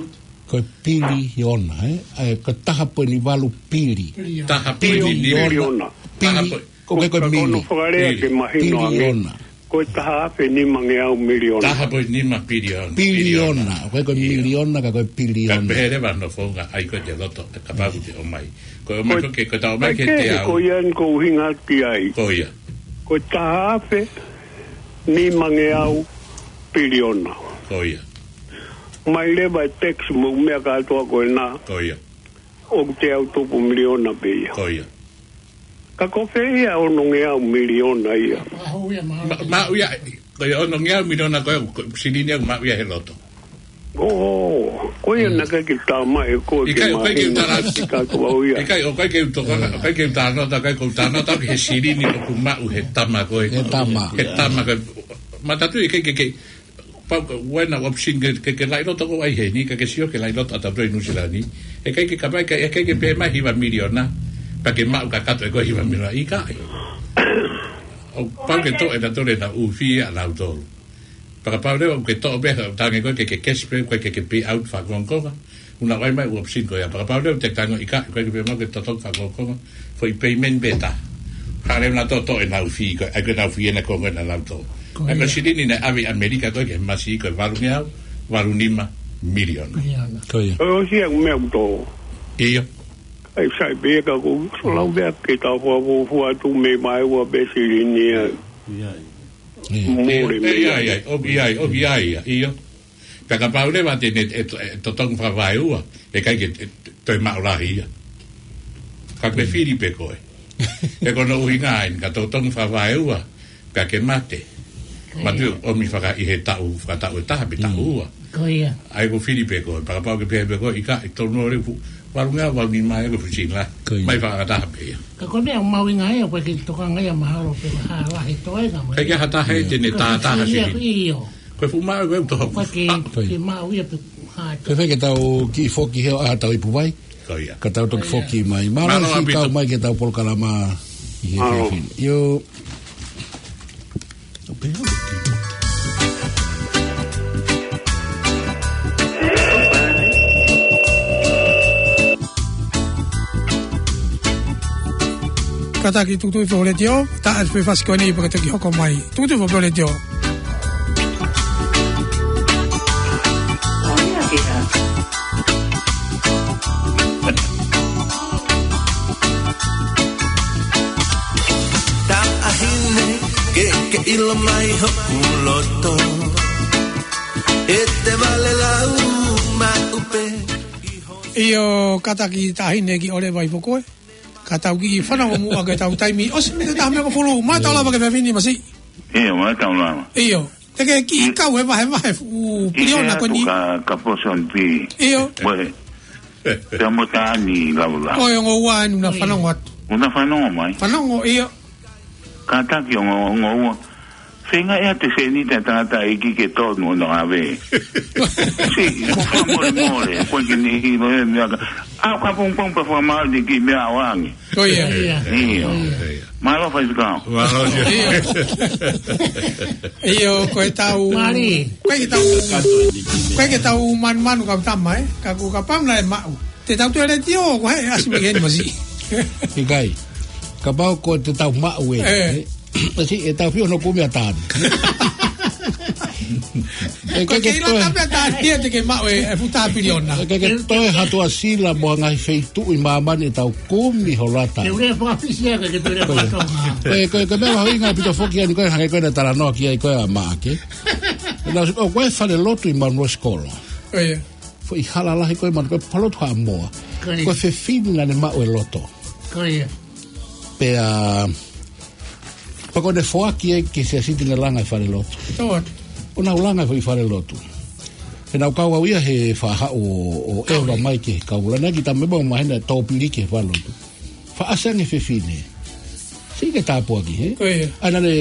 Ko e piliona, ē? ʻA ia ko e taha poini valu pili. Taha poini nima. Piliona. Pili. Taha poini. Ko e, ko e mili. Ko hono fakalea ke mahino ange. Piliona. Ko e taha afe nima ngeau miliona. Taha poini nima piliona. Piliona. Ko e, ko e miliona ka ko e piliona. Ka pehē leva hono founga ai ko e te loto, kapau ʻoku te ʻomai. Ko e ʻomai ko ē ke, ko e tau mai ke te au. Ko ia eni ʻoku ou ʻuhinga ki ai. Ko ia. Ko e taha afe nima ngeau piliona. Ko ia. Mai leva e tax mo e meʻa kātoa ko ena. Ko ia. ʻOku teau tupu miliona pē ia. Ko ia. Ka ko fē ia e ono ngeau miliona ia? Ma-, maʻu ia, ko e ono ngeau miliona ko e, ko e silini ia ʻoku maʻu ia he loto. ʻO, ko ia naʻe ʻikai ke talamai ʻe koe ke mahino ʻikai ke u tala-, ʻikai ke u tala-, ʻikai, ʻoku ʻikai ke u tokanga, ʻoku ʻikai ke u talanoa, ʻikai ke u talanoa ki he silini ʻoku maʻu he tama ko ē. He tama. He tama ko ē. Mātā atu ʻikai ke, ke, pau ko e ʻuhinga option ke, ke, ke laʻi loto ko ē ai heni, ka ke sio ke laʻi loto ʻatautolu ʻi Nuʻusila ni. Heʻikai ke kapai, heʻikai ke pehē mai hiva miliona, pea ke maʻu kakato ʻe koe hiva miliona, ʻikai. ʻOku pau ke toʻo ʻe nautolu ʻenau fee ʻanautolu. Pea kapau leva ʻoku ke toʻo pē, tangi ko ē ke, ke cash pē, ko e ke, ke pay out fakongokonga. Naʻe ʻai mai ʻū option ko ia, fakapapauʻi leva ʻe he tangataʻeiki, ʻikai ke pehē mai ke totongi fakakongokonga, foʻi payment pē ʻe taha. Hangē naʻa nau toʻo ʻenau fee ko ē, ʻa ia ko ʻenau fee ʻena konga naʻa nau toʻo. Ko ia. Ko e silini naʻe ʻave ʻi ʻAmelika ko ē ki he masiʻi ko e valungeau, valunima miliona. Miliona. Ko ia. ʻOsi ia ʻū meʻa ʻoku toʻo. ʻIo. ʻAi sai pē ka ko e ʻosi lau meʻa ke tau fakafuofua atu mei māua pē silini ia. ʻIo. ʻIo. Mole mei ai. ʻIo, ʻio, ʻio, ʻio, ʻio. Pea kapau leva te ne, ʻe to-, ʻe totongi fakavaeua, ʻe ʻikai ke, ʻe toe maʻu lahi ia. Ka ke fili pē koe. He ko hono ʻuhinga eni, ka totongi fakavaeua, ka ke mate. Mate ʻomi faka ʻi he taʻu, fakataʻu ʻe taha pe taʻu ua. Ko ia. ʻAi ko e fili pē koe, pea kapau ke pehē pē koe, ʻikai, ʻe tonu ʻo lefu, valungeau, valunima ʻe ko e fuʻu sini lahi. Ko ia. Mai fakataha pē ia. Ka ko e meʻa ʻoku mahuʻinga ia, ko e ke tokanga ia mahalo pē ha lahi toenga. ʻIkai ke ha taha ʻe te ne tātaha sini. ʻIo. Ko e fuʻu maʻu ko e toho. Ko e ke, ke maʻu ia pe ha. Fēfē ke tau kiʻi foki he ʻaho ʻa tau ipu vai. Ko ia. Ka tau toki foki mai. Mālō ʻaupito. Mālō siʻi kau mai ki heʻetau polokalama ʻi he efiafi ni. ʻIo. Kātaki tukutuku foʻi letiō, tā atu pē fasi ko eni pea ka toki hoko mai. Tukutuku foʻi letiō. Taʻahine, ke, ke ʻilo mai hoku loto. ʻE te vale lau maʻu pē. ʻIo, kātaki taʻahine ki ʻoleva ʻi fokoe. Ka tau kiʻi fanongo muʻa ke tau taimi. ʻOsi mei he taha mei hongofulu, mātau lava ki he efiafi ni Masiʻi. ʻIo, mātau lava. ʻIo. Te ke kiʻi kau he vahevahe fuʻu piliona ko eni. Ka, ka poson pi. ʻIo. Mo e. Te mo tani lau lau. Ko e ongo ua eni naʻa fanongo atu. Naʻa fanongo mai. Fanongo, ʻio. Kātaki ongo, ongo ua. Feinga ʻe te senita tangataʻeiki ke tonu ʻo nau ʻave. Siʻi, mo fakamolemole, ko e ke ne hilo e meʻa ka. ʻAu ka pongpong pea fakamālō ni ki meʻa ʻoange. Ko ia. Ia. ʻIo. Mālō faifekau. Mālō. ʻIo. ʻIo, ko e tau. Mali. Ko e ke tau. Ko e ke tau manumanu kau tama, ē. Ka ko kapau naʻe maʻu. Te tau toe letiō, ko e ʻasi mai eni Masiʻi. ʻIkai. Kapau ko te tau maʻu ē. ʻE. ʻE si, ʻe tau fio no kumi a tani. ʻE ko ke ʻilo toe. Tape a tani, ia te ke maʻu e, e futa piliona. ʻE ke, ke toe ha tuʻa sila mo ha ngaahi feituʻu ʻi māmani ʻe tau kumi ho lata. Te ule fakafisi ia ke te ule fakatonga. Ko e, ko e, ko e meʻa mahuʻinga ʻaupito foki eni ko e hangē ko e naʻe talanoa ki ai ko e ʻa Maʻake. Naʻa ʻosi, ʻo ko e fale lotu ʻi Manuosikolo. Ko ia. Foʻi hala lahi ko e manu, ko e fale lotu Haʻamoa. Ko ia. Ko e fefine naʻa ne maʻu e loto. Ko ia. Pea, pea ko ʻene foaki ia ki he siasi te ne langa e fale lotu. Tō atu. ʻO nau langa e foʻi fale lotu. He naʻa ku kau au ia he faʻahi ʻo, ʻo ʻeva mai ki he kaula. Naʻe kiʻi tama mo mahina tō piliki he fale lotu. Faʻa ʻasi ange fefine. Siʻi ke tāpuaki, he? Ko ia. ʻA ia naʻa ne,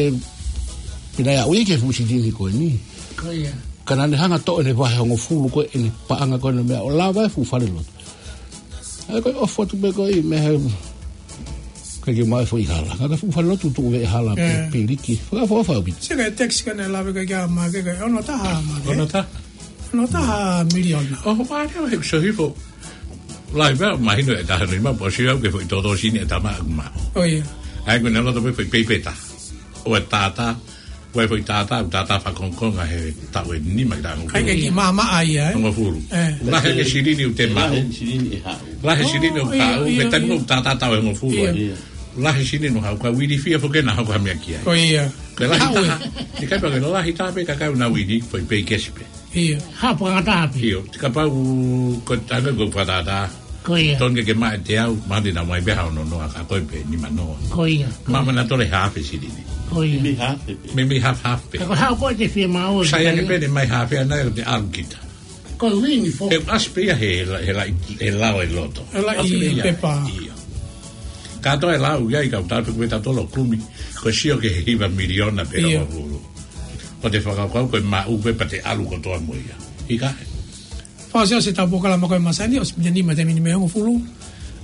pea naʻe aʻu ia ki he fuʻu silini ko eni. Ko ia. Ka naʻa ne hanga toʻo ʻene vahe hongofulu ko ē ʻene paʻanga ko ē ʻene meʻa ʻo lava e fuʻu fale lotu. ʻA ia ko e ʻofa atu pē ko ē mei he, ko e ke mai foʻi hala. Ka ko e fuʻu fale lotu tuʻu veʻe hala pē. Ē. Piliki. Fakaʻofoʻofa ʻaupito. Siʻi ko e text ko ē naʻe lave ko ē kia Maʻake ko e ono taha Maʻake. Ono taha. Ono taha miliona. ʻO, ʻo, ʻa ia he so hifo. Lahi pea, mahino ʻe taha nima, pea ʻosi au ke foʻi toto sini ʻe tama aku ma. ʻO ia. ʻA ia ko ʻene loto pē foʻi peipeta. ʻO e tātā, ʻo e foʻi tātā, tātā fakakongokonga he taʻu ʻe nima ki he taʻu hongofulu. ʻIkai ke kiʻi maʻamaʻa ia, ē? Hongofulu. Ē. Lahi e silini ʻoku te maʻu. Lahi e silini ʻoku haʻu. ʻIo, ʻio, ʻio. He taimi ʻoku tātā taʻu ʻe hongofulu. ʻIo. Lahi e silini ʻoku haʻu, ka uili fia foki naʻa haʻu ko ha meʻa ki ai. ʻO ia. Ko e lahi taha. Haʻu ē. ʻIkai pē ko e lahi taha pē ka kai una uili, foʻi pei kesi pē. ʻIo. Ha, fakataha pē. ʻIo, te kapau ko e tanga ko e fakatātā. Ko ia. Tonu ke ke maʻu ʻe teau, mahalo te nau mai pē ha ono noa ka ko e pē nima noa. Ko ia. Maʻu mana tole hafe silini. Ko ia. Meimei hafe pē. Meimei hafe hafe pē. Ka ko e hā ko e te fie maʻu. Sai ange pē ne mai hafe ana ʻo te ʻalu kita. Ko e uini foki. He ʻasi pē ia he, he la-, he lao e loto. He lao e pepa. ʻIo. Kātoa e lau ia ʻi kau tāpē ko e tatolo kumi. Ko e sio ki he hiva miliona pē ʻio. Hongofulu. ʻO te fakakaukau ko e maʻu pē pea te ʻalu kotoa mo ia. ʻIkai. Fakaʻosiʻosi ʻetau polokalama ko e masani, ʻosi miniti nima taimi ni mei he hongofulu.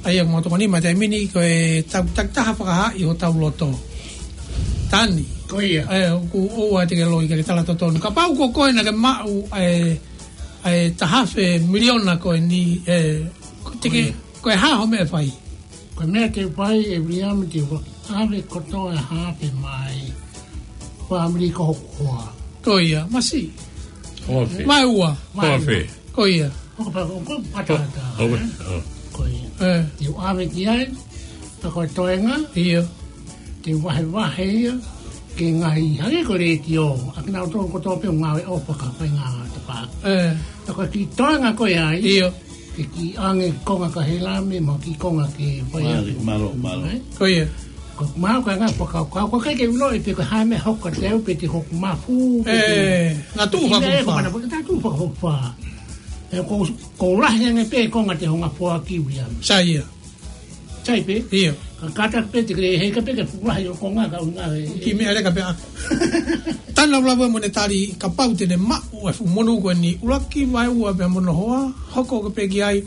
ʻA ia ʻoku mau tokoni mai taimi ni ko e tau takitaha fakahā ʻi hotau loto. Tani. Ko ia. ʻE, ʻoku ʻoua te ke loi ke ke tala totonu. Kapau ko koe naʻa ke maʻu, ʻe, ʻa e taha afe miliona ko eni, ē, ko e, ko e hā hoʻo meʻa fai? Ko e meʻa te u fai, ʻe Viliami, te u ʻave kotoa e hā afe mai. Fāmili ko hoku hoa. Ko ia, masiʻi. Ofe. Vaeua. Ofe. Ko ia. Ko ka pa-, ko ka patata, Ofe. ʻĒ? Ko ia. ʻĒ. Te u ʻave ki ai, ka ko e toenga. Ia. Te u vahevahe ia, ke ngaahi hangē ko e letiō, ʻa kinautolu kotoa pē ʻoku ngāue ʻo fakafainga tapa. ʻĒ. Ka ko e kiʻi toenga ko ia ai, Ia. ke kiʻi ʻoange konga kia Helami, mo e kiʻi konga ke fai Mālō, atu. mālō, mālō. ʻĒ? Ko ia. Ko e mālō ko e ngaahi fakakaukau, ko e ʻikai ke u ʻilo pe ko e hā e meʻa ʻe hoko kiate au pe te u hoko mafu, pe te ʻĒ, ngā tuʻu kiʻi meʻa ʻe fakaʻofoʻofa. ko mana, ko e ngā tuʻu fakaʻofoʻofa. ʻĒ, ko, ko e lahi ange pē konga te u hanga ʻo foaki, Viliami. Sai ia. Sai pē? Ia. Ka kātaki pē te ke heka pē ke fuʻu lahi ʻo konga ka ʻuhinga ē. Kiʻi meʻa leka pē ʻaku. Tana ula ue mo ne tali kapau te ne maʻu e fuʻu monū ko eni, ʻuluaki vaeua pea mo hono hoa, hoko ko ē pē ki ai.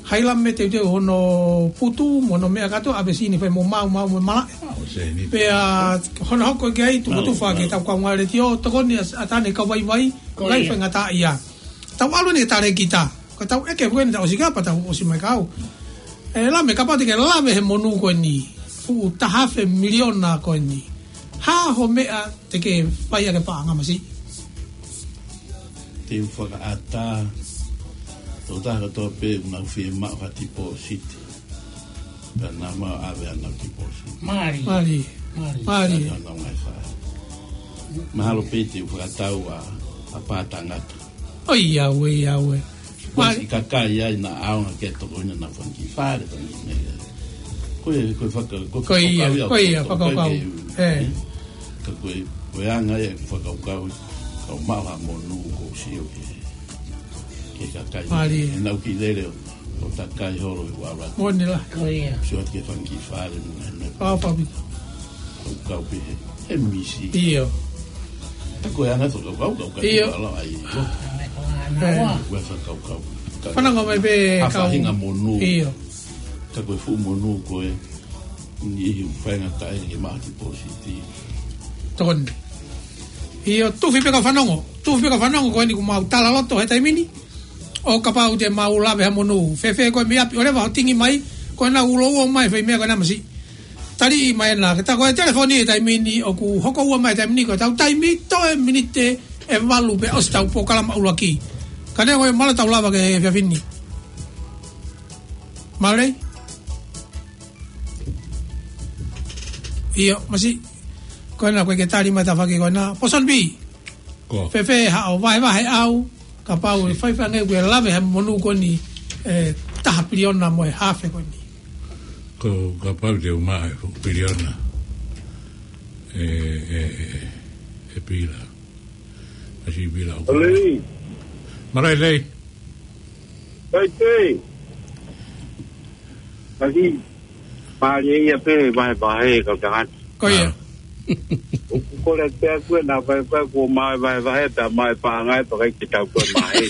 Haila mei he teuteu hono putu, mo hono meʻa kātoa, ʻave ʻo sini fai mo maumau mo malaʻe. ʻO sini. Pea hono hoko ki ai, tuku Mau, tufa ke mau. tau kau ngā letiō, tokoni ʻa, ʻa Tane Kauvaivai, Ko ngai ia. faingataʻaʻia. Tau ʻalu ni ki he talēkita. Ka tau ʻeke ko eni tau ʻosi kapa tau ʻosi mai kau. ʻE Lame, kapau te ke lave he monū ko eni. Fuʻu taha afe miliona ko eni. Hā hoʻo meʻa te ke fai ʻaki e paʻanga, masiʻi? Te u fakaʻatā. Tō taha kotoa pē ʻoku nau fiemaʻu ha tipōsiti. Pea nau maʻu ʻave ʻenau tipōsiti. Mālie. Mālie. Mālie. Mālie. Nau ngai fai. Mahalo pē te u fakatau ʻa, ʻa pātangata. ʻOiauē, ʻoiauē. Ko e Mālie. siʻi kakai ia naʻa ʻaonga ke tokoni naʻa nau fanga kiʻi fale, fanga kiʻi meʻa. Ko e, ko e faka-, ko e Ko ia, fakakaukau ia, ko ia, ko e fakakaukau. fakakaukau. ʻĒ. Ka ko e, ko e anga ia e fakakaukau, ka u maʻu ha monū ʻoku ou sio ki he, ki he kakai. Mālie. ʻE nau kiʻi lele ʻo, ʻo takai holo ʻi ʻAulaki. Moʻoni lā. Ko ia. Sio atu ki he fanga kiʻi fale mo e ngaahi meʻa. Pau, pau, pau. Kau kau pē he, he misi. ʻIo. Ka ko e anga e fakakaukau, kau kau ʻIo. kau ala ai. Ko ʻĒ. ko e fakakaukau. Ka Fanongo mai pē ha kau faʻahinga monū. ʻIo. Ka ko e fuʻu monū ko ē, niʻihi ʻoku faingataʻaʻia ke maʻu ha tipōsiti. Tokoni. ʻIo, tufi pē kau fanongo. Tufi pē kau fanongo ko eni kuo mau tala loto he taimi ni. ʻO kapau te mau lave ha monū. Fēfē koe mei ʻapi, ʻoleva hoʻo tingi mai, ko ena ulo uo mai fai meʻa ko ena, masiʻi. Taliʻi mai ena, ke tā ko e telefoni he taimi ni ʻoku hoko ua mai he taimi ni, ko ʻetau taimi toe miniti ʻe valu pē ʻosi ʻetau polokalama ʻuluaki. Ka neongo ia, mālō ʻetau lava ki he efiafi ni. Mālō. ʻIo, masiʻi. Ko ena ko e ke tali mai tafaʻaki ko ena. Poson B. Ko. Fēfē haʻo vahevahe ʻau, kapau ʻe fai fanga ʻeku ʻe lave he monū ko eni, ʻe taha piliona mo e haafe ko eni. Ko kapau te u maʻu e fuʻu piliona. ʻE, ʻe, ʻe, ʻe pila. ʻAsi pila ʻo Lei. Mālō Lei. Kai tei. Aki. Mālie ia pē, vahevahe, kau tangata. Ko ia. ʻOku kole pē ʻaku ʻe naʻa vahevahe, kuo maʻu e vahevahe, pea maʻu e paʻanga ʻe pea ʻikai ke tau ko e maʻu.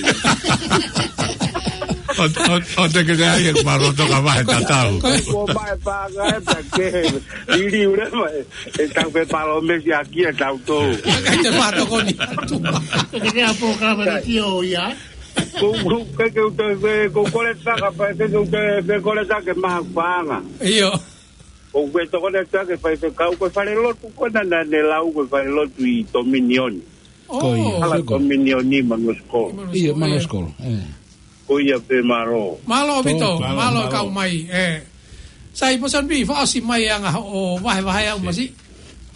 ʻO, ʻo, ʻo te ke te ai e maroto ka vahe tatau. Ko ia. Kuo maʻu e paʻanga ʻe pea ke liliu leva ʻe, ʻe tau pē palōmesi ʻaki ʻe tautolu. ʻIkai te fai tokoni. Ke te apo ka vale ki o ia. Ko, ko, ke, ke u te, ke, ko u kole taka, pa, ke, ke u te, ke kole taka ke maha paʻanga. ʻIo. Ko u ke tokoni atu ke fai ke kau ko e fale lotu ko ena naʻa ne lau ko e fale lotu ʻi Tominioni. ʻŌ. Ko ia, Hala sio ko. Tominioni Manuskolo. ʻIo, Manuskolo, ʻē. Ko ia pē mālō. Mālō ʻaupito, Tō. mālō Mālō, kau mālō. mai, ē. Sai, Poson B, fakaʻosi mai anga hoʻo vahevahe ʻau masiʻi.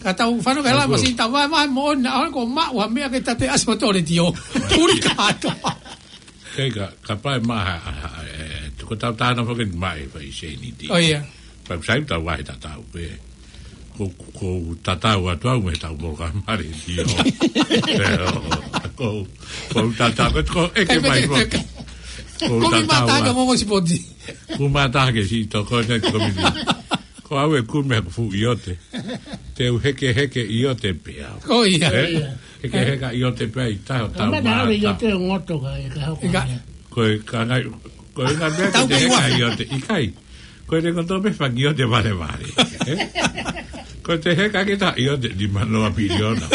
Ka tau fanongo ki he lā Mālō. masiʻi, tau vahevahe moʻoni, ʻaho ko maʻu ha meʻa ke tate ʻasi mo tole tio. Puli kātoa. Kei ka, ka pae maha, ha, ha, ē, tuku tau tāna foki ni mai, fai seniti. ʻO ia. Pea sai tau vahe tatau pē. Ko, ko tatau atu au mei he tau moloka mare tio. Ko, ko tatau, ko, ko ʻeke mai foki. Ko Kumi tatau mata atu. ka mo mo sipoti. Kumi mata ke si toko ne ko mini. Ko au ʻe kumi ʻeku fuʻu ʻiote. Te u hekeheke ʻiote pē au. Ko ia. Ē? Ko ia. Hekeheka ʻiote pē ʻi tahi ʻo tau Ka mata au mata. ʻiote ngoto ka e ka hoko Ika. ai. Ko e ka ngai, ko e ngā meʻa Tau ke te pei heka ua. ʻiote. ʻIkai. Ko e ngoto pē fanga ʻiote valevale. Ē? Ko e te heka ke ta ʻio te lima noa piliona.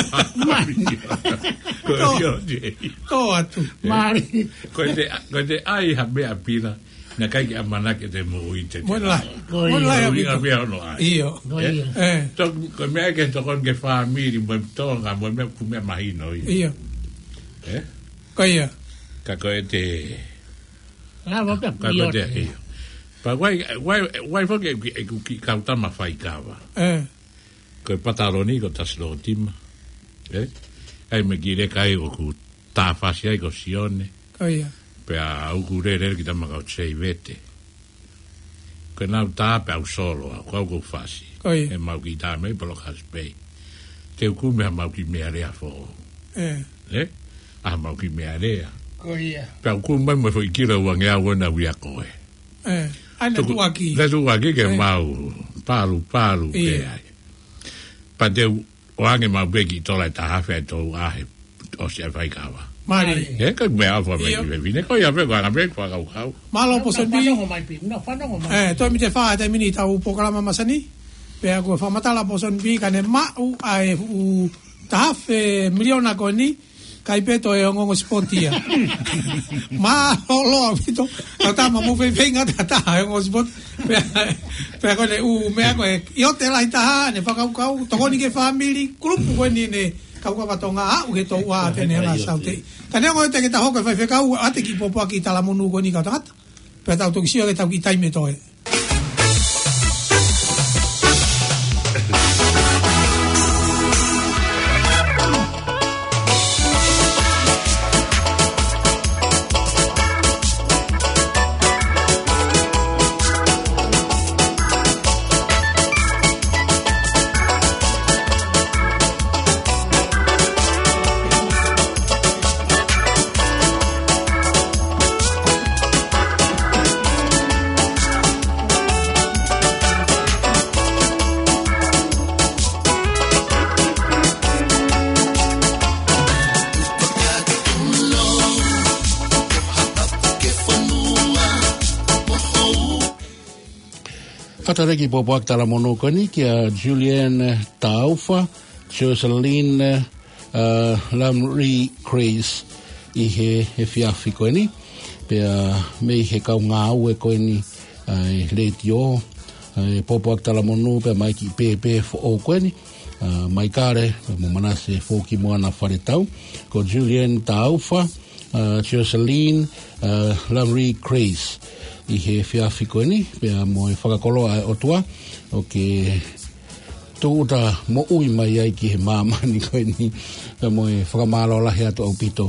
Ko e ʻio te. Tō atu. Mālie. Ko e te, ko e te ʻai ha meʻa pila. Naʻe ʻikai ke ʻamanaki ʻete moʻui te te. Mo e lahi. Ko ia. Mo e lahi. Ko e ʻuhinga pē hono ʻai. ʻIo. Ko ia. ʻE. Tō, ko e meʻa ke tokoni ki he fāmili, mo e Tonga, mo e meʻa, ko e meʻa mahino ia. ʻIo. ʻE? Ko ia. Ka ko e te. Lava pē ka ko e te, piliona. ʻIo. Pea ʻoku ʻi ai, ʻoku ʻi ai, ʻoku ʻi ai foki ʻeku, ʻeku kiʻi kau tama faikava. ʻE. Ko e pataloni ko Tasilōtima. ʻE? ʻAi me ki leka ai ʻoku tāfasi ai ko Sione. Ko ia. Pea ʻoku lele ki tama kau Seivete. Ko e nau tā pea u solo au, ko au ʻoku ou fasi. Ko ia. ʻE mau kiʻi tā mei Poloka Spei. Te u kumi ha mau kiʻi meʻalea foʻou. ʻE. ʻE? Ha mau kiʻi meʻalea. Ko ia. Pea u kumi mai mo e foʻi kilo ua ngeau ʻo na uia koe. ʻE. ʻAi na tuku, tuʻuaki. Na tuʻuaki ke ʻe. Mau palu, palu ʻIo. Pē ai. Pea te u ʻoange mau pē kiʻi tola ʻe taha afe ʻe tolu afe ʻosi ʻa e faikava. Mālie. ʻE, ka meʻa ʻofa mai ʻIo. Ki he fefine. Ko ia pē ko ʻana pē ko fakakaukau. Mālō Pōsoni Pī. Fanongo mai pē. Na fanongo mai. ʻE, toe mite fā te mini tau polokalama masani. Pea ko e fakamatala Pōsoni Pī ka ne maʻu ʻa e fuʻu taha afe miliona ko eni. Kai pē toe ongoongo sipoti ia. Mālō ʻaupito. Tau tama mo fefeinga tata ongoongo sipoti. Pea, pea ko ʻene ʻū meʻa ko e ʻio te lahi taha, ne fakakaukau, tokoni ki he fāmili, kulupu ko eni ne kau kava Tonga, aʻu he tō ua te ne hanga saute. Ka neongo ʻete ke ta hoko e faifekau, ʻa ʻete kiʻi pōpoaki talamonū ko eni kau tangata. Pea tau toki sio ke tau kiʻi taimi ʻe toe. Fakalelei e kiʻi pōpoaki talamonū ko eni kia Julian Taufa, Jocelyn, uh, Lamri Grace ʻi he, he efiafi ko eni. Pea mei he kau ngāue ko eni, ʻa e letiō, ʻa e pōpoaki talamonū pea mo e kiʻi pēpē foʻou ko eni, ʻa Maikale, pea mo Manase Fōkimoana Faletau, ko Julian Taufa, ʻa Jocelyn, ʻa Lamri Grace, ʻi he efiafi ko eni, pea mo e fakakoloa ʻa e ʻOtua, ʻo ke tūʻuta moʻui mai ai ki he māmani ko eni, pea mo e fakamālō lahi atu ʻaupito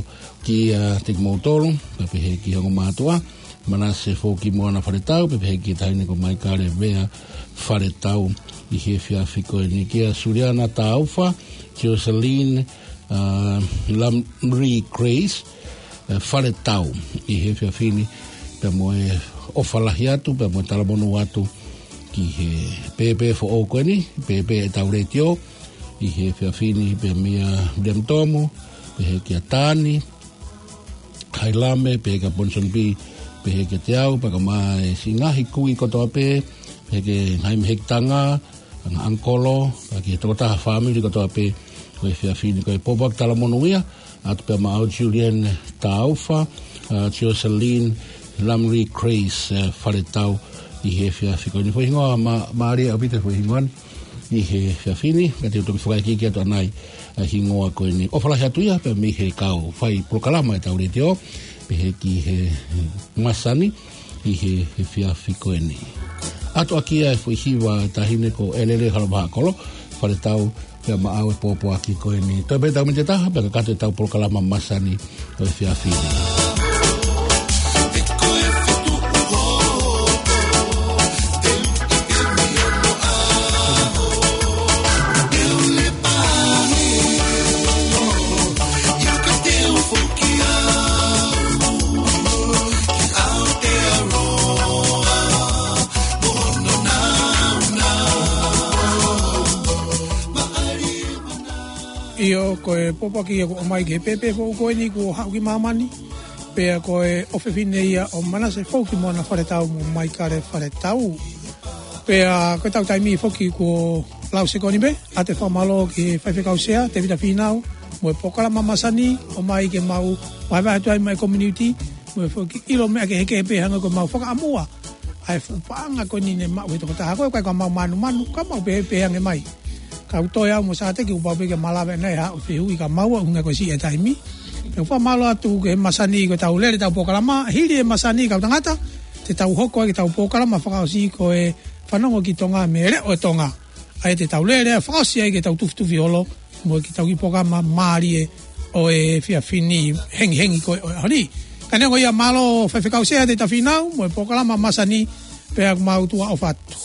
kiate kimoutolu, pea pehē ki he ongo mātuʻa, Manase Fōkimoana Faletau, pea pehē ki he taʻahine ko Maikale Vea Faletau ʻi he efiafi ko eni kia Suliana Taufa, Jocelyn, ʻa, Lamri Grace, ʻa, Faletau ʻi he efiafi ni, pea mo e ʻofa lahi atu, pea mo e talamonū atu ki he pēpē foʻou ko eni, pēpē ʻetau letiō, ʻi he efiafi ni, pea meia William Tomu, pehē kia Tani, Hailame, pehē kia Ponsonby, pehē kiate au, pea ka mai si ngaahi kui kotoa pē, pehē ki he ngaahi mehekitanga, ngaahi ʻangikolo, pea ki he tokotaha fāmili kotoa pē, ko e efiafi ni ko e pōpoaki talamonū ia, ʻatu pea maʻau Julian Taufa, ʻa, Jocelyn Lamri Grace, ʻa, Faletau ʻi he efiafi ko eni. Foʻi hingoa ma-, mālie ʻaupito foʻi hingoa ni ʻi he efiafi ni, ka te u toki fakaikiiki atu ʻanai ʻa e hingoa ko eni. ʻOfa lahi atu ia, pea mei he kau fai polokalama ʻetau letiō, pehē ki he masani, ʻi he, he efiafi ko eni. ʻAtu ʻaki ia e foʻi hiva ʻa e taʻahine ko ʻElele Halapahaʻakolo Faletau, pea maʻau e pōpoaki ko eni. Toe pē ʻetau miniti ʻe taha, pea kakato ʻetau polokalama masani ʻo e efiafi ni. ʻIo, ko e pōpoaki ia kuo ʻomai ki he pēpē foʻou ko eni kuo haʻu ki māmani. Pea ko e ʻofefine ia ʻo Manase Fōkimoana Faletau mo Maikale Faletau. Pea ko ʻetau taimi foki kuo Lau sekoni pē ʻa e fakamālō ki he faifekau sea, Tevita Fīnau, mo e polokalama masani, ʻomai ke mau vahevahe atu ai mo e community, mo e foki ʻilo meʻa kehekehe pē hangē ko e mau fakaʻamua ʻa e fuʻu paʻanga ko eni ne maʻu ʻe he tokotaha ko ē, ʻikai ko e mau mānumanu, ka mau pehē pē ange mai. Kau toe au mo Sāteki, kuo pau pē ke malava ʻanai ha fehuʻi ka mau ʻo hangē ko e siʻi ʻa e taimi. Pea fakamālō atu ki he masani ko ʻetau lele ʻetau polokalama, hili e masani kau tangata, te tau hoko ai ki heʻetau polokalama fakaʻosi ko e Fanongo ki Tonga mei he Leʻo ʻo Tonga. ʻA ia te tau lele fakaʻosi ai ki heʻetau tufitufi holo, mo e kiʻi tau kiʻi polokalama mālie ʻo e efiafi ni, hengihengi ko ē ʻo e ʻaho ni. Ka neongo ia, mālō faifekau sea Tevita Fīnau, mo e polokalama masani, pea mau tuʻa ʻofa atu.